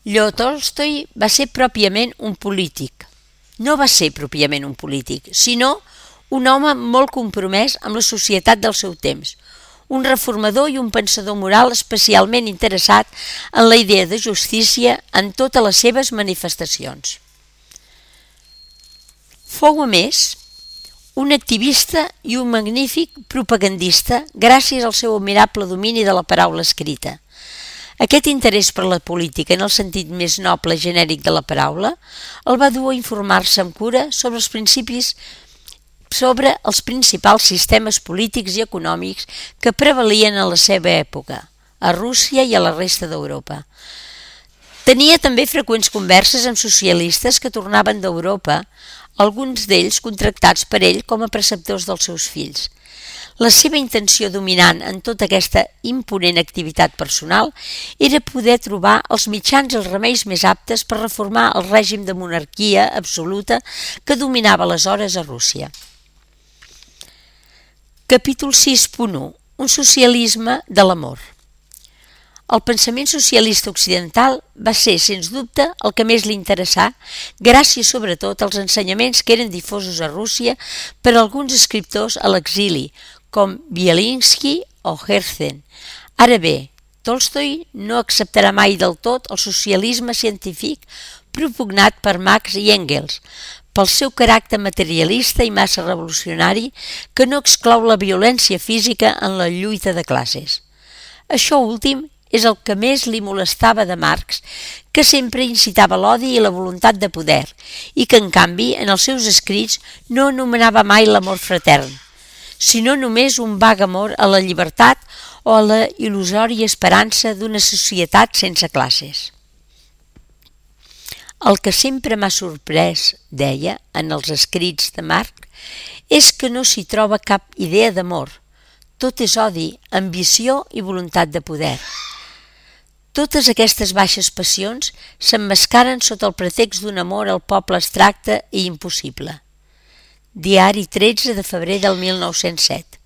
Leo Tolstoi va ser pròpiament un polític. No va ser pròpiament un polític, sinó un home molt compromès amb la societat del seu temps, un reformador i un pensador moral especialment interessat en la idea de justícia en totes les seves manifestacions. Fou, a més, un activista i un magnífic propagandista gràcies al seu admirable domini de la paraula escrita. Aquest interès per la política en el sentit més noble i genèric de la paraula el va dur a informar-se amb cura sobre els principis sobre els principals sistemes polítics i econòmics que prevalien a la seva època, a Rússia i a la resta d'Europa. Tenia també freqüents converses amb socialistes que tornaven d'Europa, alguns d'ells contractats per ell com a preceptors dels seus fills. La seva intenció dominant en tota aquesta imponent activitat personal era poder trobar els mitjans i els remeis més aptes per reformar el règim de monarquia absoluta que dominava aleshores a Rússia. Capítol sis punt u. Un socialisme de l'amor. El pensament socialista occidental va ser, sens dubte, el que més li interessà, gràcies sobretot als ensenyaments que eren difosos a Rússia per alguns escriptors a l'exili, com Bielinski o Herzen. Ara bé, Tolstoi no acceptarà mai del tot el socialisme científic propugnat per Marx i Engels, pel seu caràcter materialista i massa revolucionari que no exclou la violència física en la lluita de classes. Això últim és el que més li molestava de Marx, que sempre incitava l'odi i la voluntat de poder, i que, en canvi, en els seus escrits no anomenava mai l'amor fratern, sinó només un vag amor a la llibertat o a la il·lusòria esperança d'una societat sense classes. El que sempre m'ha sorprès, deia, en els escrits de Marx, és que no s'hi troba cap idea d'amor. Tot és odi, ambició i voluntat de poder. Totes aquestes baixes passions s'emmascaren sota el pretext d'un amor al poble abstracte i impossible. Diari tretze de febrer del mil nou-cents set.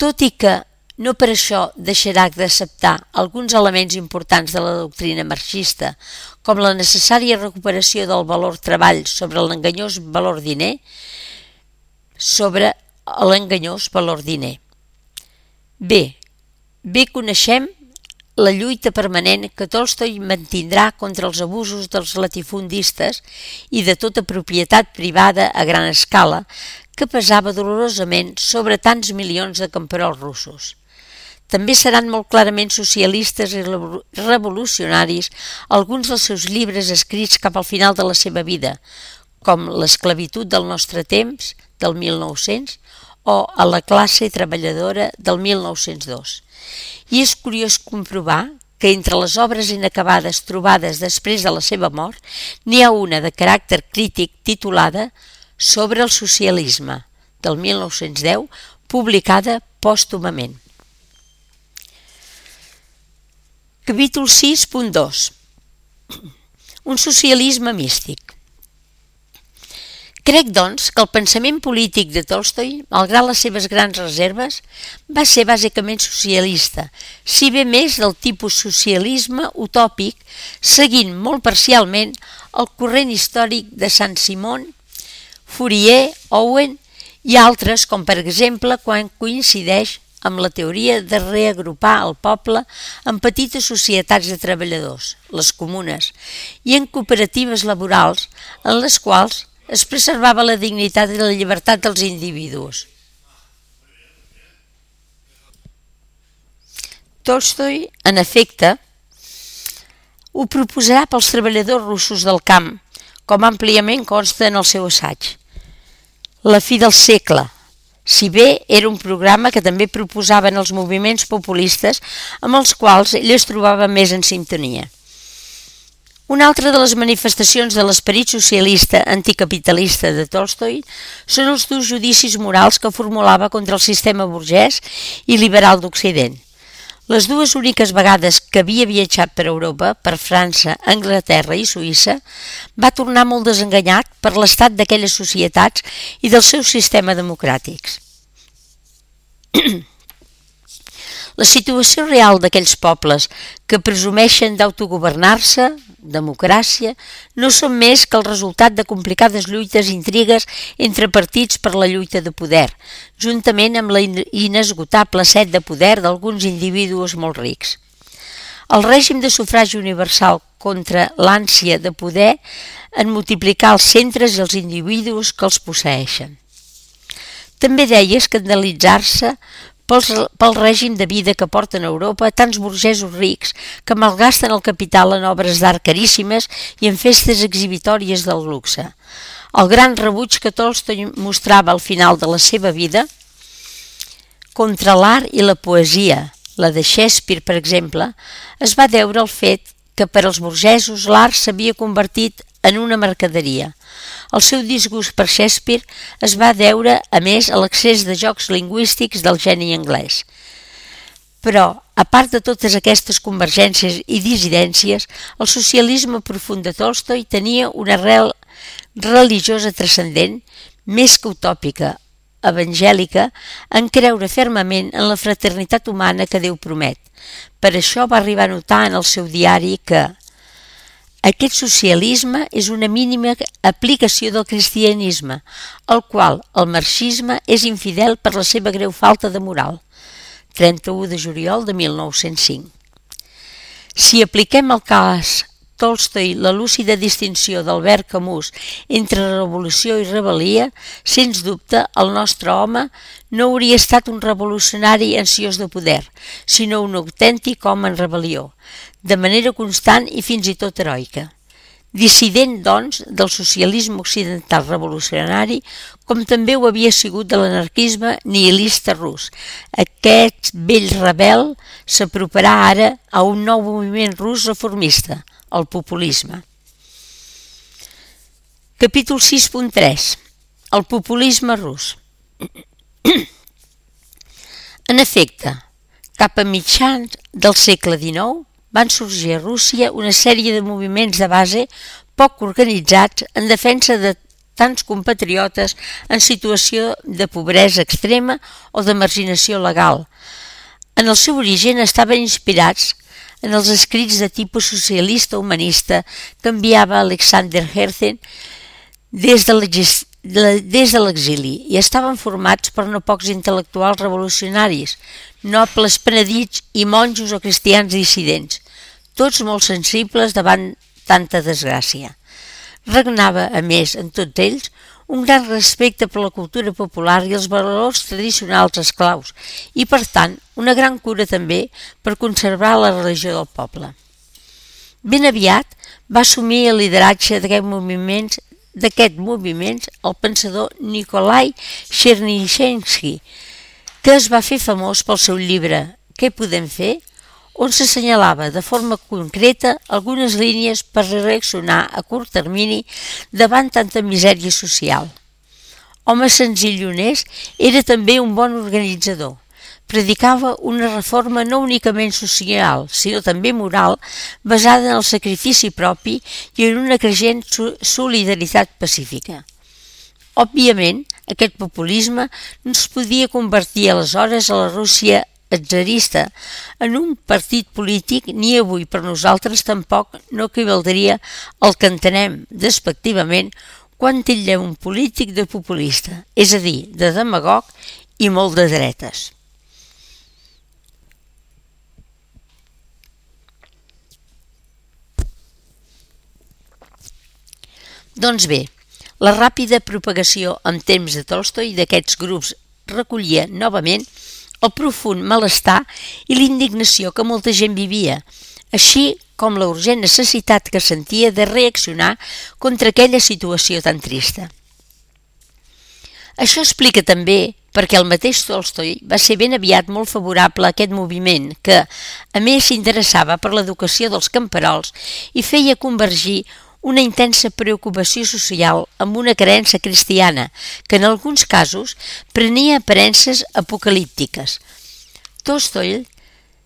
Tot i que no per això deixarà d'acceptar alguns elements importants de la doctrina marxista, com la necessària recuperació del valor treball sobre l'enganyós valor diner, sobre l'enganyós valor diner. Bé, bé coneixem la lluita permanent que Tolstoi mantindrà contra els abusos dels latifundistes i de tota propietat privada a gran escala que pesava dolorosament sobre tants milions de camperols russos. També seran molt clarament socialistes i revolucionaris alguns dels seus llibres escrits cap al final de la seva vida, com L'esclavitud del nostre temps, del mil nou-cents, o A la classe treballadora, del mil nou-cents dos. I és curiós comprovar que entre les obres inacabades trobades després de la seva mort n'hi ha una de caràcter crític titulada Sobre el socialisme, del mil nou-cents deu, publicada pòstumament. Capítol sis punt dos. Un socialisme místic. Crec, doncs, que el pensament polític de Tolstoi, malgrat les seves grans reserves, va ser bàsicament socialista, si bé més del tipus socialisme utòpic, seguint molt parcialment el corrent històric de Saint-Simon, Fourier, Owen i altres, com per exemple quan coincideix amb la teoria de reagrupar el poble en petites societats de treballadors, les comunes, i en cooperatives laborals en les quals es preservava la dignitat i la llibertat dels individus. Tolstoi, en efecte, ho proposarà pels treballadors russos del camp, com àmpliament consta en el seu assaig. La fi del segle, si bé era un programa que també proposaven els moviments populistes amb els quals ell es trobava més en sintonia. Una altra de les manifestacions de l'esperit socialista anticapitalista de Tolstoi són els durs judicis morals que formulava contra el sistema burgès i liberal d'Occident. Les dues úniques vegades que havia viatjat per Europa, per França, Anglaterra i Suïssa, va tornar molt desenganyat per l'estat d'aquelles societats i dels seus sistemes democràtics. La situació real d'aquells pobles que presumeixen d'autogovernar-se, democràcia, no són més que el resultat de complicades lluites i intrigues entre partits per la lluita de poder, juntament amb la inesgotable set de poder d'alguns individus molt rics. El règim de sufragi universal contra l'ànsia de poder en multiplicar els centres i els individus que els posseeixen. També deia escandalitzar-se pel règim de vida que porten a Europa tants burgesos rics que malgasten el capital en obres d'art caríssimes i en festes exhibitòries del luxe. El gran rebuig que Tolstoi mostrava al final de la seva vida contra l'art i la poesia, la de Shakespeare, per exemple, es va deure al fet que per als burgesos l'art s'havia convertit en una mercaderia. El seu disgust per Shakespeare es va deure, a més, a l'excés de jocs lingüístics del geni anglès. Però, a part de totes aquestes convergències i dissidències, el socialisme profund de Tolstoi tenia una arrel religiosa transcendent, més que utòpica, evangèlica, en creure fermament en la fraternitat humana que Déu promet. Per això va arribar a notar en el seu diari que aquest socialisme és una mínima aplicació del cristianisme, al qual el marxisme és infidel per la seva greu falta de moral. trenta-u de juliol de mil nou-cents cinc. Si apliquem al cas Tolstoi la lúcida distinció d'Albert Camus entre revolució i rebel·lia, sens dubte el nostre home no hauria estat un revolucionari ansiós de poder, sinó un autèntic home en rebel·lió, de manera constant i fins i tot heroica. Dissident, doncs, del socialisme occidental revolucionari, com també ho havia sigut de l'anarquisme nihilista rus. Aquest vell rebel s'aproparà ara a un nou moviment rus reformista, el populisme. Capítol sis punt tres. El populisme rus. En efecte, cap a mitjans del segle dinou van sorgir a Rússia una sèrie de moviments de base poc organitzats en defensa de tants compatriotes en situació de pobresa extrema o de marginació legal. En el seu origen estaven inspirats en els escrits de tipus socialista humanista que enviava Alexander Herzen des de l'exili i estaven formats per no pocs intel·lectuals revolucionaris, nobles penedits i monjos o cristians dissidents, tots molt sensibles davant tanta desgràcia. Regnava, a més, en tots ells, un gran respecte per la cultura popular i els valors tradicionals esclaus i, per tant, una gran cura també per conservar la religió del poble. Ben aviat va assumir el lideratge d'aquest moviment, d'aquest moviment el pensador Nikolai Chernyshevsky, que es va fer famós pel seu llibre Què podem fer? on s'assenyalava de forma concreta algunes línies per reaccionar a curt termini davant tanta misèria social. Home senzill i honest, era també un bon organitzador. Predicava una reforma no únicament social, sinó també moral, basada en el sacrifici propi i en una creixent solidaritat pacífica. Òbviament, aquest populisme no es podia convertir aleshores a la Rússia tsarista en un partit polític, ni avui per nosaltres tampoc no equivaldria al que entenem despectivament quan titllem un polític de populista, és a dir, de demagog i molt de dretes. Doncs bé, la ràpida propagació en temps de Tolstoi d'aquests grups recollia novament el profund malestar i l'indignació que molta gent vivia, així com la urgent necessitat que sentia de reaccionar contra aquella situació tan trista. Això explica també perquè el mateix Tolstoi va ser ben aviat molt favorable a aquest moviment que, a més, s'interessava per l'educació dels camperols i feia convergir una intensa preocupació social amb una creença cristiana que en alguns casos prenia aparences apocalíptiques. Tolstoi,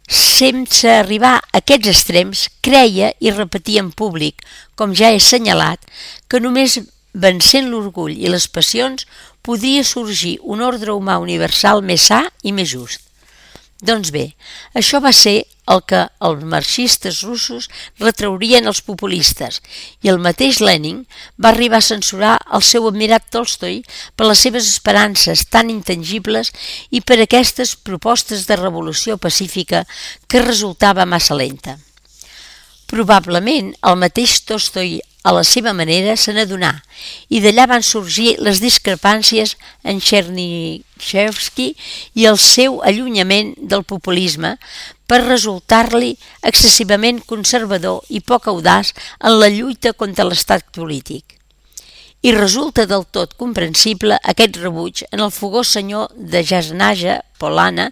sense arribar a aquests extrems, creia i repetia en públic, com ja he assenyalat, que només vencent l'orgull i les passions podia sorgir un ordre humà universal més sa i més just. Doncs bé, això va ser el que els marxistes russos retraurien als populistes i el mateix Lenin va arribar a censurar el seu admirat Tolstoi per les seves esperances tan intangibles i per aquestes propostes de revolució pacífica que resultava massa lenta. Probablement el mateix Tolstoi a la seva manera se n'adonà i d'allà van sorgir les discrepàncies en Chernyshevsky i el seu allunyament del populisme per resultar-li excessivament conservador i poc audaç en la lluita contra l'estat polític. I resulta del tot comprensible aquest rebuig en el fogós senyor de Jasnaja, Polana,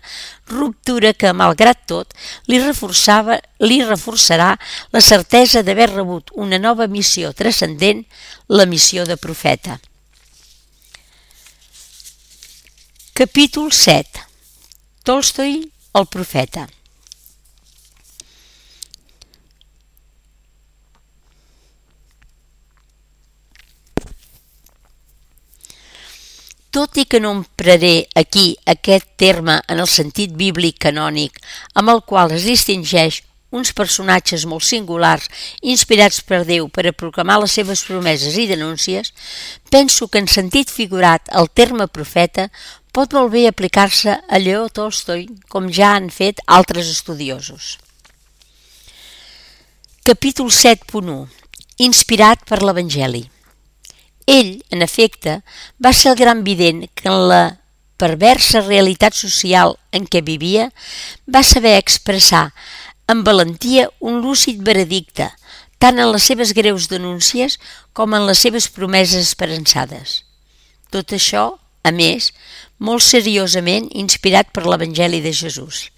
ruptura que, malgrat tot, li reforçava, li reforçarà la certesa d'haver rebut una nova missió transcendent, la missió de profeta. Capítol set. Tolstoi, el profeta. Tot i que no empraré aquí aquest terme en el sentit bíblic canònic, amb el qual es distingeix uns personatges molt singulars inspirats per Déu per a proclamar les seves promeses i denúncies, penso que en sentit figurat el terme profeta pot molt bé aplicar-se a Lleó Tolstoi, com ja han fet altres estudiosos. Capítol set punt u. Inspirat per l'Evangeli. Ell, en efecte, va ser el gran vident que en la perversa realitat social en què vivia va saber expressar amb valentia un lúcid veredicte, tant en les seves greus denúncies com en les seves promeses esperançades. Tot això, a més, molt seriosament inspirat per l'Evangeli de Jesús.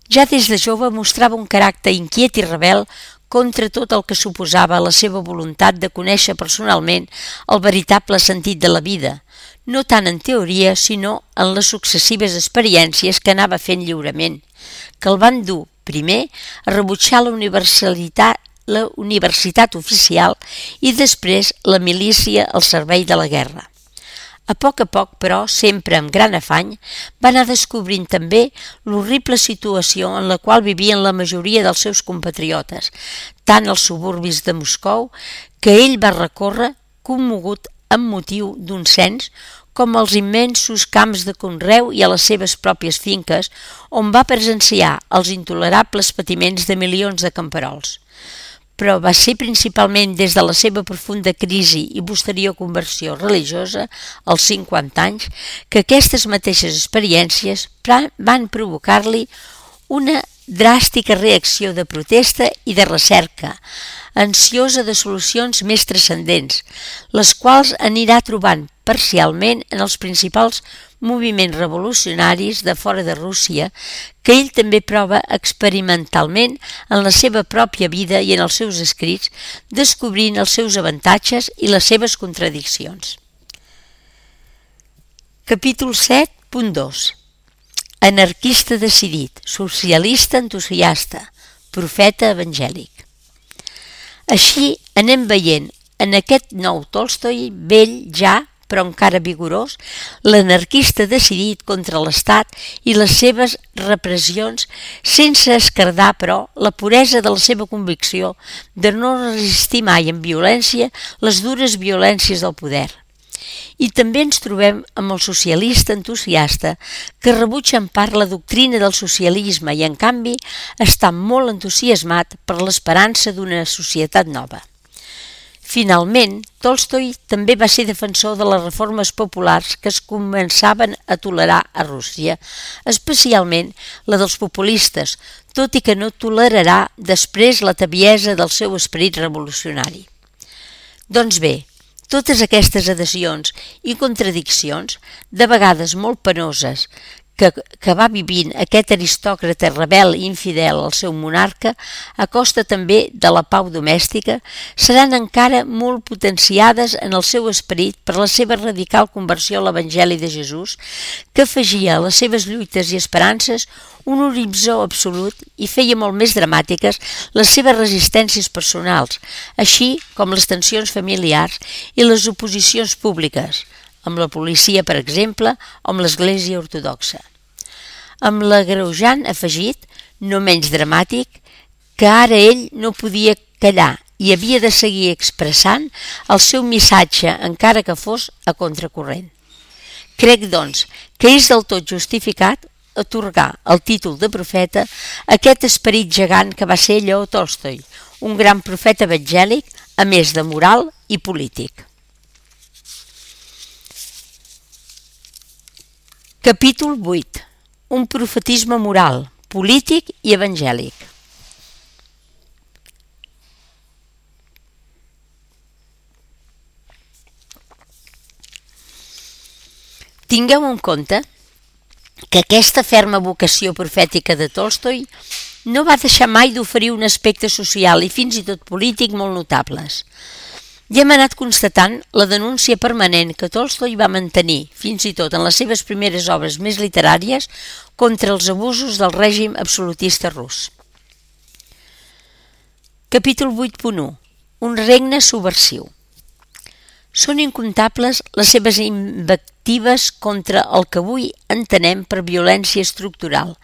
Ja des de jove mostrava un caràcter inquiet i rebel contra tot el que suposava la seva voluntat de conèixer personalment el veritable sentit de la vida, no tant en teoria sinó en les successives experiències que anava fent lliurement, que el van dur, primer, a rebutjar la universitat, la universitat oficial i després la milícia al servei de la guerra. A poc a poc, però, sempre amb gran afany, va anar descobrint també l'horrible situació en la qual vivien la majoria dels seus compatriotes, tant als suburbis de Moscou, que ell va recórrer commogut amb motiu d'un cens, com als immensos camps de conreu i a les seves pròpies finques, on va presenciar els intolerables patiments de milions de camperols. Però va ser principalment des de la seva profunda crisi i posterior conversió religiosa, als cinquanta anys, que aquestes mateixes experiències van provocar-li una dràstica reacció de protesta i de recerca, ansiosa de solucions més transcendents, les quals anirà trobant parcialment en els principals moviments revolucionaris de fora de Rússia, que ell també prova experimentalment en la seva pròpia vida i en els seus escrits, descobrint els seus avantatges i les seves contradiccions. Capítol set punt dos. Anarquista decidit, socialista entusiasta, profeta evangèlic. Així anem veient en aquest nou Tolstoi, vell ja, però encara vigorós, l'anarquista decidit contra l'Estat i les seves repressions, sense escardar, però, la puresa de la seva convicció de no resistir mai amb violència les dures violències del poder. I també ens trobem amb el socialista entusiasta que rebutja en part la doctrina del socialisme i, en canvi, està molt entusiasmat per l'esperança d'una societat nova. Finalment, Tolstoi també va ser defensor de les reformes populars que es començaven a tolerar a Rússia, especialment la dels populistes, tot i que no tolerarà després la tebiesa del seu esperit revolucionari. Doncs bé, totes aquestes adhesions i contradiccions, de vegades molt penoses, que, que va vivint aquest aristòcrata rebel i infidel al seu monarca, a costa també de la pau domèstica, seran encara molt potenciades en el seu esperit per la seva radical conversió a l'Evangeli de Jesús, que afegia a les seves lluites i esperances un horitzó absolut i feia molt més dramàtiques les seves resistències personals, així com les tensions familiars i les oposicions públiques, amb la policia, per exemple, o amb l'Església ortodoxa. Amb l'agreujant afegit, no menys dramàtic, que ara ell no podia callar i havia de seguir expressant el seu missatge, encara que fos a contracorrent. Crec, doncs, que és del tot justificat atorgar el títol de profeta a aquest esperit gegant que va ser Lleó Tolstoi, un gran profeta evangèlic, a més de moral i polític. Capítol vuit. Un profetisme moral, polític i evangèlic. Tingueu en compte que aquesta ferma vocació profètica de Tolstoi no va deixar mai d'oferir un aspecte social i fins i tot polític molt notables. Ja hem anat constatant la denúncia permanent que Tolstoi va mantenir, fins i tot en les seves primeres obres més literàries, contra els abusos del règim absolutista rus. Capítol vuit punt u. Un regne subversiu. Són incomptables les seves invectives contra el que avui entenem per violència estructural,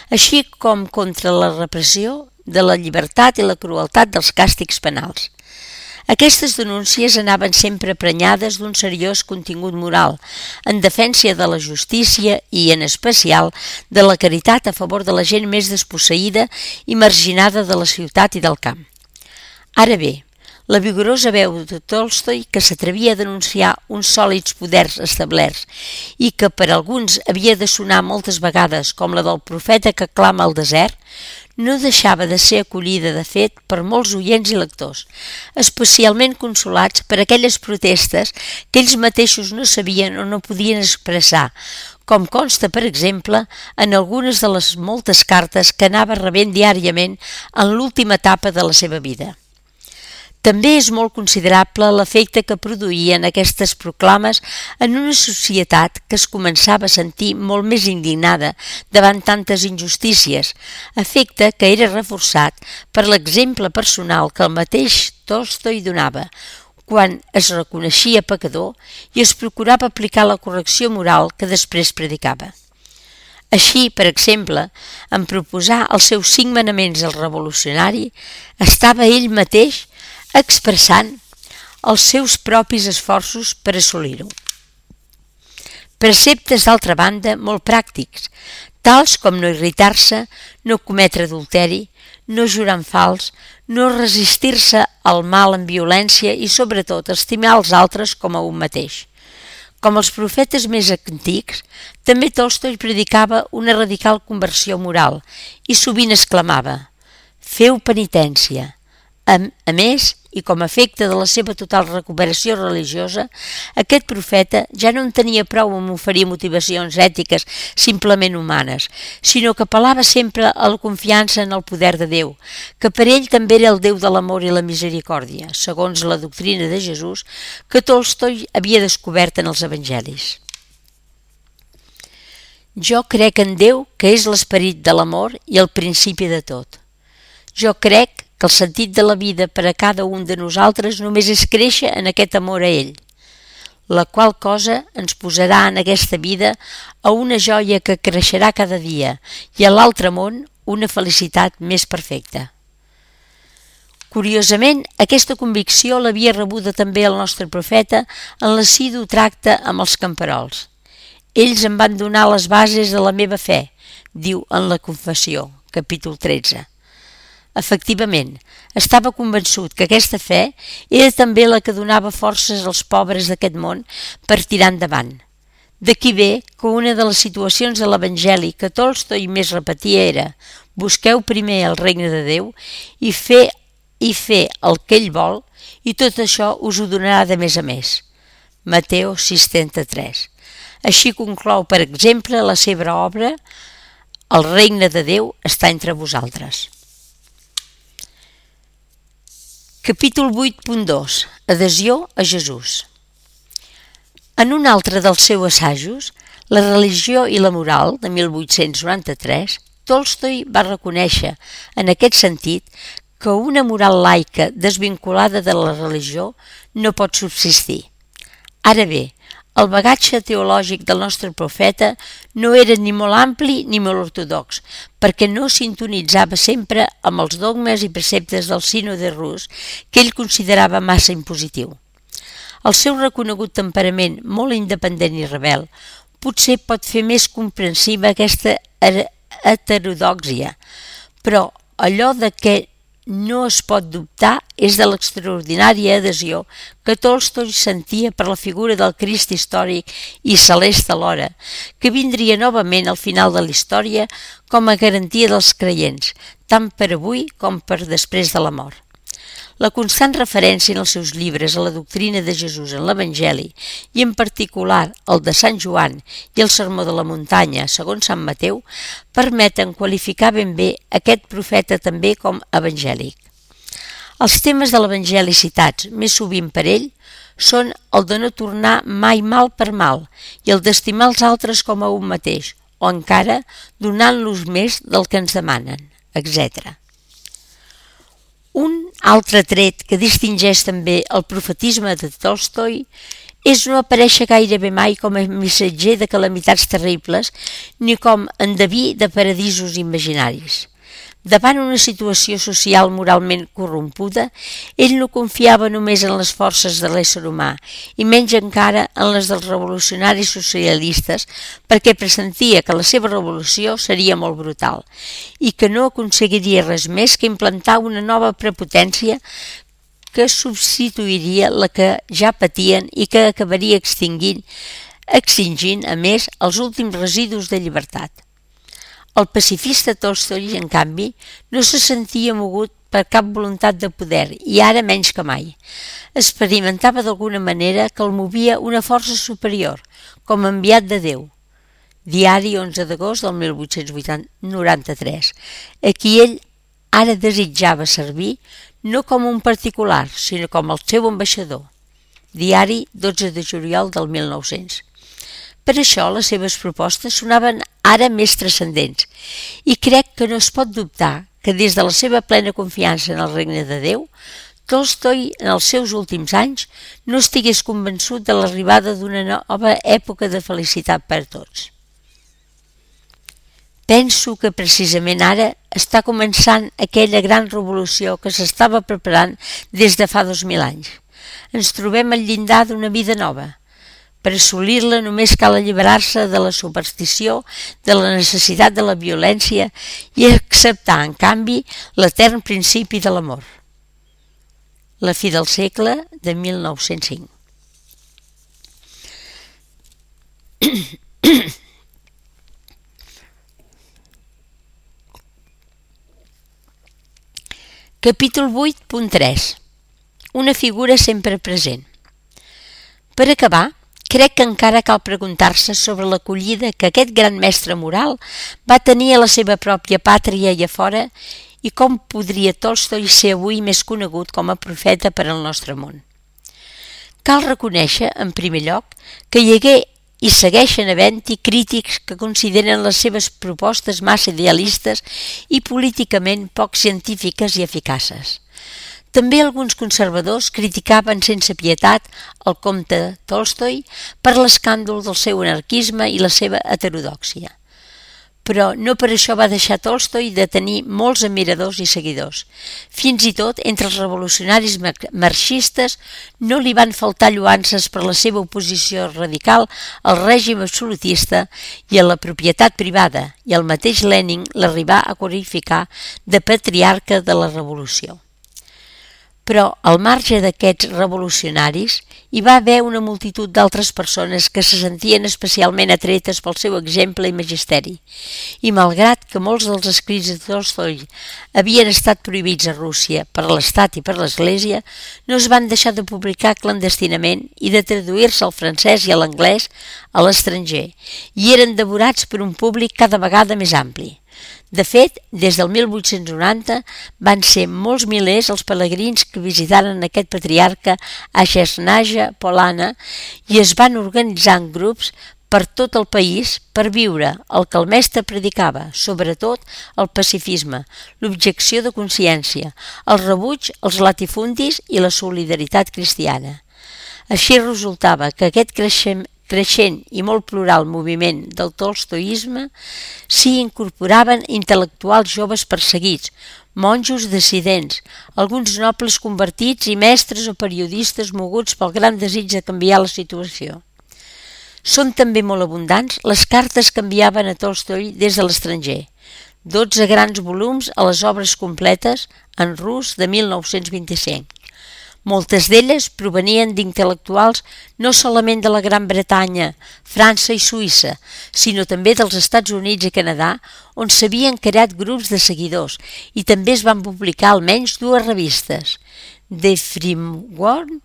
així com contra la repressió de la llibertat i la crueltat dels càstigs penals. Aquestes denúncies anaven sempre prenyades d'un seriós contingut moral, en defensa de la justícia i, en especial, de la caritat a favor de la gent més desposseïda i marginada de la ciutat i del camp. Ara bé, la vigorosa veu de Tolstoi, que s'atrevia a denunciar uns sòlids poders establerts i que per alguns havia de sonar moltes vegades com la del profeta que clama al desert, no deixava de ser acollida, de fet, per molts oients i lectors, especialment consolats per aquelles protestes que ells mateixos no sabien o no podien expressar, com consta, per exemple, en algunes de les moltes cartes que anava rebent diàriament en l'última etapa de la seva vida. També és molt considerable l'efecte que produïen aquestes proclames en una societat que es començava a sentir molt més indignada davant tantes injustícies, efecte que era reforçat per l'exemple personal que el mateix Tolstoi donava, quan es reconeixia pecador i es procurava aplicar la correcció moral que després predicava. Així, per exemple, en proposar els seus cinc manaments al revolucionari, estava ell mateix expressant els seus propis esforços per assolir-ho. Preceptes, d'altra banda, molt pràctics, tals com no irritar-se, no cometre adulteri, no jurar en fals, no resistir-se al mal amb violència i, sobretot, estimar els altres com a un mateix. Com els profetes més antics, també Tolstoi predicava una radical conversió moral i sovint exclamava: «Feu penitència, A, a més, i com a efecte de la seva total recuperació religiosa, aquest profeta ja no en tenia prou amb oferir motivacions ètiques simplement humanes, sinó que apel·lava sempre a la confiança en el poder de Déu, que per ell també era el Déu de l'amor i la misericòrdia, segons la doctrina de Jesús que Tolstoi havia descobert en els evangelis. Jo crec en Déu, que és l'esperit de l'amor i el principi de tot. Jo crec que el sentit de la vida per a cada un de nosaltres només és créixer en aquest amor a ell, la qual cosa ens posarà en aquesta vida a una joia que creixerà cada dia i a l'altre món una felicitat més perfecta. Curiosament, aquesta convicció l'havia rebuda també el nostre profeta en l'assidu tracte amb els camperols. Ells em van donar les bases de la meva fe, diu en la Confessió, capítol tretze. Efectivament, estava convençut que aquesta fe era també la que donava forces als pobres d'aquest món per tirar endavant. D'aquí ve que una de les situacions de l'Evangeli que Tolstoi més repetia era «Busqueu primer el regne de Déu i fer, i fer el que ell vol i tot això us ho donarà de més a més». Mateu sis trenta-tres. Així conclou, per exemple, la seva obra «El regne de Déu està entre vosaltres». Capítol vuit punt dos. Adhesió a Jesús. En un altre dels seus assajos, La religió i la moral, de mil vuit-cents noranta-tres, Tolstoi va reconèixer, en aquest sentit, que una moral laica desvinculada de la religió no pot subsistir. Ara bé, el bagatge teològic del nostre profeta no era ni molt ampli ni molt ortodox, perquè no sintonitzava sempre amb els dogmes i preceptes del sínode rus que ell considerava massa impositiu. El seu reconegut temperament molt independent i rebel potser pot fer més comprensiva aquesta heterodòxia, però allò de què no es pot dubtar és de l'extraordinària adhesió que Tolstoi sentia per la figura del Crist històric i celeste alhora, que vindria novament al final de la història com a garantia dels creients, tant per avui com per després de la mort. La constant referència en els seus llibres a la doctrina de Jesús en l'Evangeli, i en particular el de Sant Joan i el Sermó de la Muntanya, segons Sant Mateu, permeten qualificar ben bé aquest profeta també com evangèlic. Els temes de l'Evangeli citats més sovint per ell són el de no tornar mai mal per mal i el d'estimar els altres com a un mateix, o encara donant-los més del que ens demanen, etcètera. Un altre tret que distingeix també el profetisme de Tolstoi és no aparèixer gairebé mai com a missatger de calamitats terribles ni com endeví de paradisos imaginaris. Davant una situació social moralment corrompuda, ell no confiava només en les forces de l'ésser humà i menys encara en les dels revolucionaris socialistes perquè pressentia que la seva revolució seria molt brutal i que no aconseguiria res més que implantar una nova prepotència que substituiria la que ja patien i que acabaria extingint, extingint, a més, els últims residus de llibertat. El pacifista Tolstoi, en canvi, no se sentia mogut per cap voluntat de poder i ara menys que mai. Experimentava d'alguna manera que el movia una força superior, com a enviat de Déu. Diari onze d'agost del mil vuit-cents noranta-tres, a qui ell ara desitjava servir no com un particular, sinó com el seu ambaixador. Diari dotze de juliol del mil nou-cents. Per això les seves propostes sonaven ara més transcendents i crec que no es pot dubtar que des de la seva plena confiança en el regne de Déu, Tolstoi en els seus últims anys no estigués convençut de l'arribada d'una nova època de felicitat per a tots. Penso que precisament ara està començant aquella gran revolució que s'estava preparant des de fa dos mil anys. Ens trobem al llindar d'una vida nova. Per assolir-la només cal alliberar-se de la superstició, de la necessitat de la violència i acceptar, en canvi, l'etern principi de l'amor. La fi del segle de mil nou-cents cinc. Capítol vuit punt tres. Una figura sempre present. Per acabar, crec que encara cal preguntar-se sobre l'acollida que aquest gran mestre moral va tenir a la seva pròpia pàtria i a fora i com podria Tolstoi ser avui més conegut com a profeta per al nostre món. Cal reconèixer, en primer lloc, que hi hagué i segueixen havent-hi crítics que consideren les seves propostes massa idealistes i políticament poc científiques i eficaces. També alguns conservadors criticaven sense pietat el comte Tolstoi per l'escàndol del seu anarquisme i la seva heterodòxia. Però no per això va deixar Tolstoi de tenir molts admiradors i seguidors. Fins i tot entre els revolucionaris marxistes no li van faltar lloances per la seva oposició radical al règim absolutista i a la propietat privada, i el mateix Lenin l'arribà a qualificar de patriarca de la revolució. Però al marge d'aquests revolucionaris hi va haver una multitud d'altres persones que se sentien especialment atretes pel seu exemple i magisteri, i malgrat que molts dels escrits de Tolstoi havien estat prohibits a Rússia per l'Estat i per l'Església, no es van deixar de publicar clandestinament i de traduir-se al francès i a l'anglès a l'estranger, i eren devorats per un públic cada vegada més ampli. De fet, des del mil vuit-cents noranta van ser molts milers els pelegrins que visitaren aquest patriarca a Jasnaja Polana i es van organitzar en grups per tot el país per viure el que el mestre predicava, sobretot el pacifisme, l'objecció de consciència, el rebuig als latifundis i la solidaritat cristiana. Així resultava que aquest creixement creixent i molt plural moviment del tolstoïsme s'hi incorporaven intel·lectuals joves perseguits, monjos dissidents, alguns nobles convertits i mestres o periodistes moguts pel gran desig de canviar la situació. Són també molt abundants les cartes que enviaven a Tolstoi des de l'estranger, dotze grans volums a les obres completes en rus de mil nou-cents vint-i-cinc. Moltes d'elles provenien d'intel·lectuals no solament de la Gran Bretanya, França i Suïssa, sinó també dels Estats Units i Canadà, on s'havien creat grups de seguidors i també es van publicar almenys dues revistes, The Framework,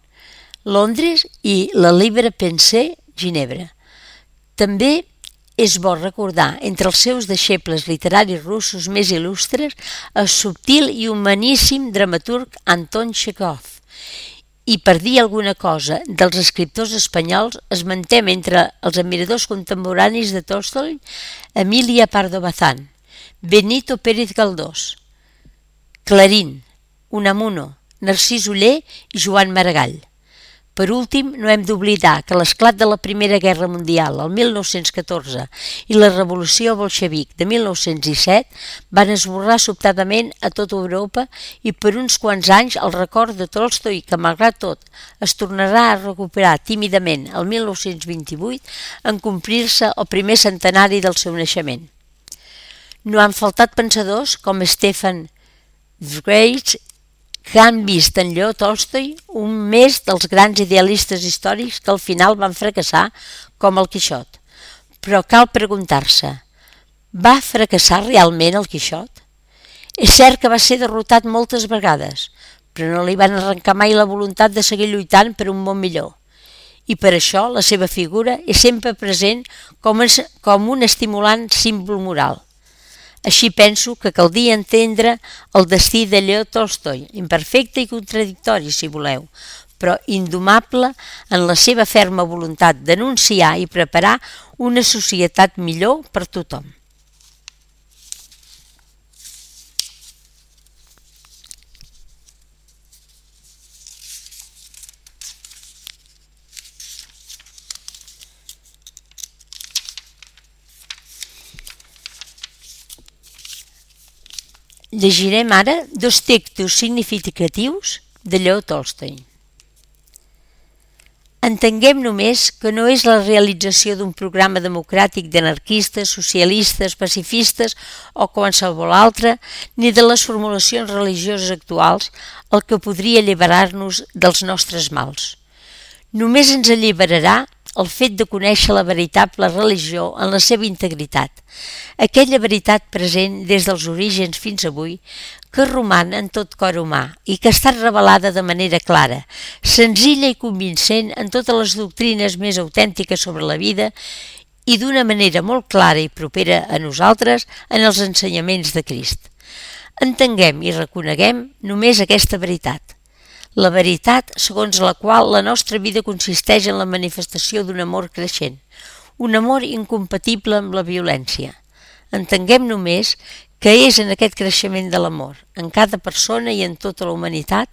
Londres, i la Libre Pensée, Ginebra. També és bo recordar entre els seus deixebles literaris russos més il·lustres el subtil i humaníssim dramaturg Anton Txékhov. I per dir alguna cosa dels escriptors espanyols, esmentem entre els admiradors contemporanis de Tolstoi Emilia Pardo Bazán, Benito Pérez Galdós, Clarín, Unamuno, Narcís Oller i Joan Maragall. Per últim, no hem d'oblidar que l'esclat de la Primera Guerra Mundial, el mil nou-cents catorze, i la Revolució Bolxevic de mil nou-cents disset van esborrar sobtadament a tota Europa i per uns quants anys el record de Tolstoi, que malgrat tot es tornarà a recuperar tímidament el mil nou-cents vint-i-vuit en complir-se el primer centenari del seu naixement. No han faltat pensadors com Stefan Zweig, que han vist en Lleó Tolstoi un més dels grans idealistes històrics que al final van fracassar com el Quixot. Però cal preguntar-se, va fracassar realment el Quixot? És cert que va ser derrotat moltes vegades, però no li van arrencar mai la voluntat de seguir lluitant per un món millor. I per això la seva figura és sempre present com un estimulant símbol moral. Així penso que caldria entendre el destí de Lleó Tolstoi, imperfecte i contradictori, si voleu, però indomable en la seva ferma voluntat d'anunciar i preparar una societat millor per tothom. Llegirem ara dos textos significatius de Lleó Tolstoi. Entenguem només que no és la realització d'un programa democràtic d'anarquistes, socialistes, pacifistes o qualsevol altre, ni de les formulacions religioses actuals, el que podria alliberar-nos dels nostres mals. Només ens alliberarà el fet de conèixer la veritable religió en la seva integritat, aquella veritat present des dels orígens fins avui, que roman en tot cor humà i que ha estat revelada de manera clara, senzilla i convincent en totes les doctrines més autèntiques sobre la vida i d'una manera molt clara i propera a nosaltres en els ensenyaments de Crist. Entenguem i reconeguem només aquesta veritat. La veritat segons la qual la nostra vida consisteix en la manifestació d'un amor creixent, un amor incompatible amb la violència. Entenguem només que és en aquest creixement de l'amor, en cada persona i en tota la humanitat,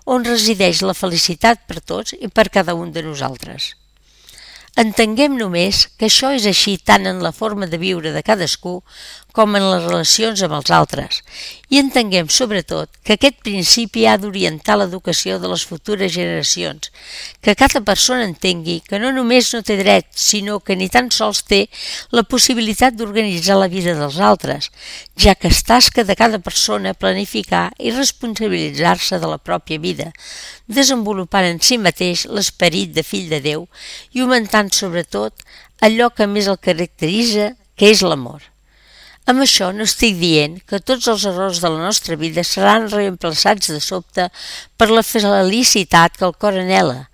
on resideix la felicitat per tots i per cada un de nosaltres. Entenguem només que això és així tant en la forma de viure de cadascú com en les relacions amb els altres, i entenguem sobretot que aquest principi ha d'orientar l'educació de les futures generacions, que cada persona entengui que no només no té dret, sinó que ni tan sols té la possibilitat d'organitzar la vida dels altres, ja que és tasca de cada persona planificar i responsabilitzar-se de la pròpia vida, desenvolupant en si mateix l'esperit de fill de Déu i augmentant sobretot allò que més el caracteritza, que és l'amor. Amb això no estic dient que tots els errors de la nostra vida seran reemplaçats de sobte per la felicitat que el cor anhela,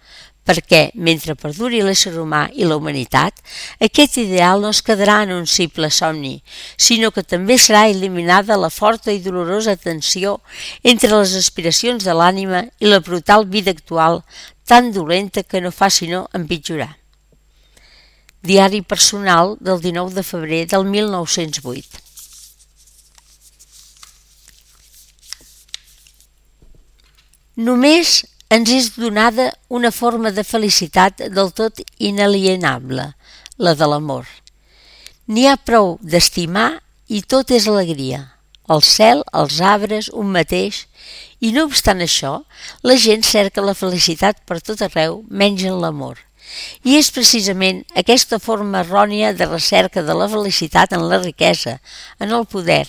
perquè, mentre perduri l'ésser humà i la humanitat, aquest ideal no es quedarà en un simple somni, sinó que també serà eliminada la forta i dolorosa tensió entre les aspiracions de l'ànima i la brutal vida actual, tan dolenta que no fa sinó empitjorar. Diari personal del dinou de febrer del mil nou-cents vuit. Només ens és donada una forma de felicitat del tot inalienable, la de l'amor. N'hi ha prou d'estimar i tot és alegria. El cel, els arbres, un mateix, i no obstant això, la gent cerca la felicitat per tot arreu menys en l'amor. I és precisament aquesta forma errònia de recerca de la felicitat en la riquesa, en el poder,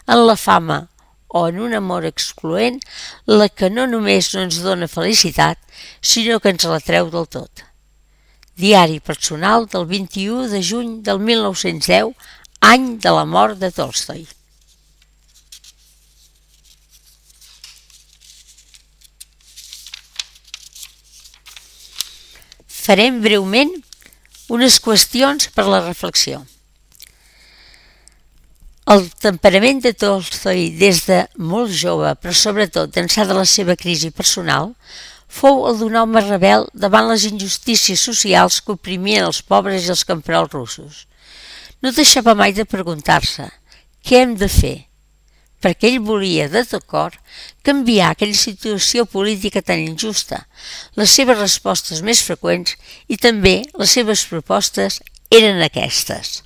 en la fama o en un amor excloent la que no només no ens dona felicitat, sinó que ens la treu del tot. Diari personal del vint-i-u de juny del mil nou-cents deu, any de la mort de Tolstoi. Farem breument unes qüestions per la reflexió. El temperament de Tolstoi des de molt jove, però sobretot d'ençà de la seva crisi personal, fou el d'un home rebel davant les injustícies socials que oprimien els pobres i els camperols russos. No deixava mai de preguntar-se què hem de fer, perquè ell volia de tot cor canviar aquella situació política tan injusta. Les seves respostes més freqüents i també les seves propostes eren aquestes.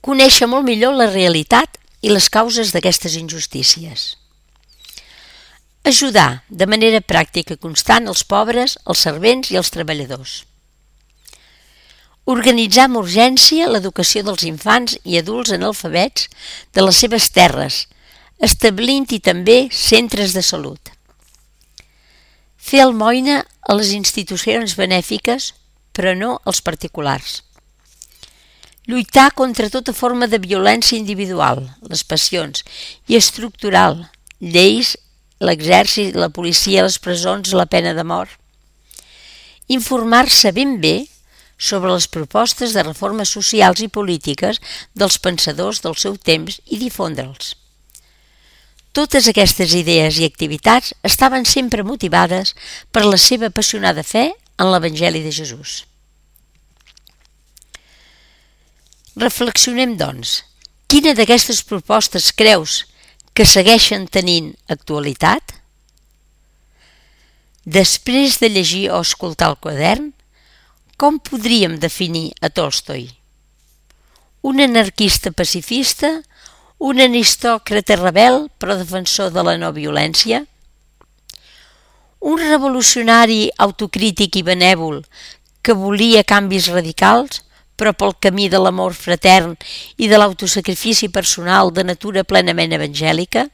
Conèixer molt millor la realitat i les causes d'aquestes injustícies. Ajudar de manera pràctica i constant els pobres, els servents i els treballadors. Organitzar amb urgència l'educació dels infants i adults analfabets de les seves terres, establint-hi també centres de salut. Fer almoina a les institucions benèfiques, però no als particulars. Lluitar contra tota forma de violència individual, les passions, i estructural, lleis, l'exèrcit, la policia, les presons, la pena de mort. Informar-se ben bé sobre les propostes de reformes socials i polítiques dels pensadors del seu temps i difondre'ls. Totes aquestes idees i activitats estaven sempre motivades per la seva apassionada fe en l'Evangeli de Jesús. Reflexionem, doncs, quina d'aquestes propostes creus que segueixen tenint actualitat? Després de llegir o escoltar el quadern, com podríem definir a Tolstoi? Un anarquista pacifista? Un aristòcrata rebel però defensor de la no violència? Un revolucionari autocrític i benèvol que volia canvis radicals però pel camí de l'amor fratern i de l'autosacrifici personal de natura plenament evangèlica?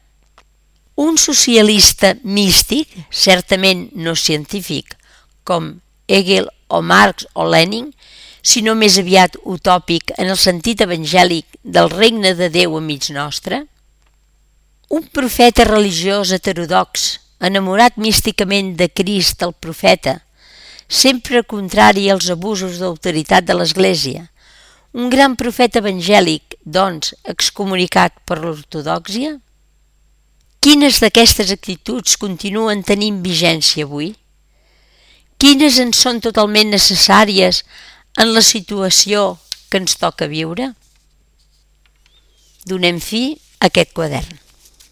Un socialista místic, certament no científic, com Hegel o Marx o Lenin, sinó més aviat utòpic en el sentit evangèlic del regne de Déu a mig nostre? Un profeta religiós heterodox, enamorat místicament de Crist el profeta, sempre contrari als abusos d'autoritat de l'Església, un gran profeta evangèlic, doncs, excomunicat per l'ortodòxia? Quines d'aquestes actituds continuen tenint vigència avui? Quines en són totalment necessàries en la situació que ens toca viure? Donem fi a aquest quadern.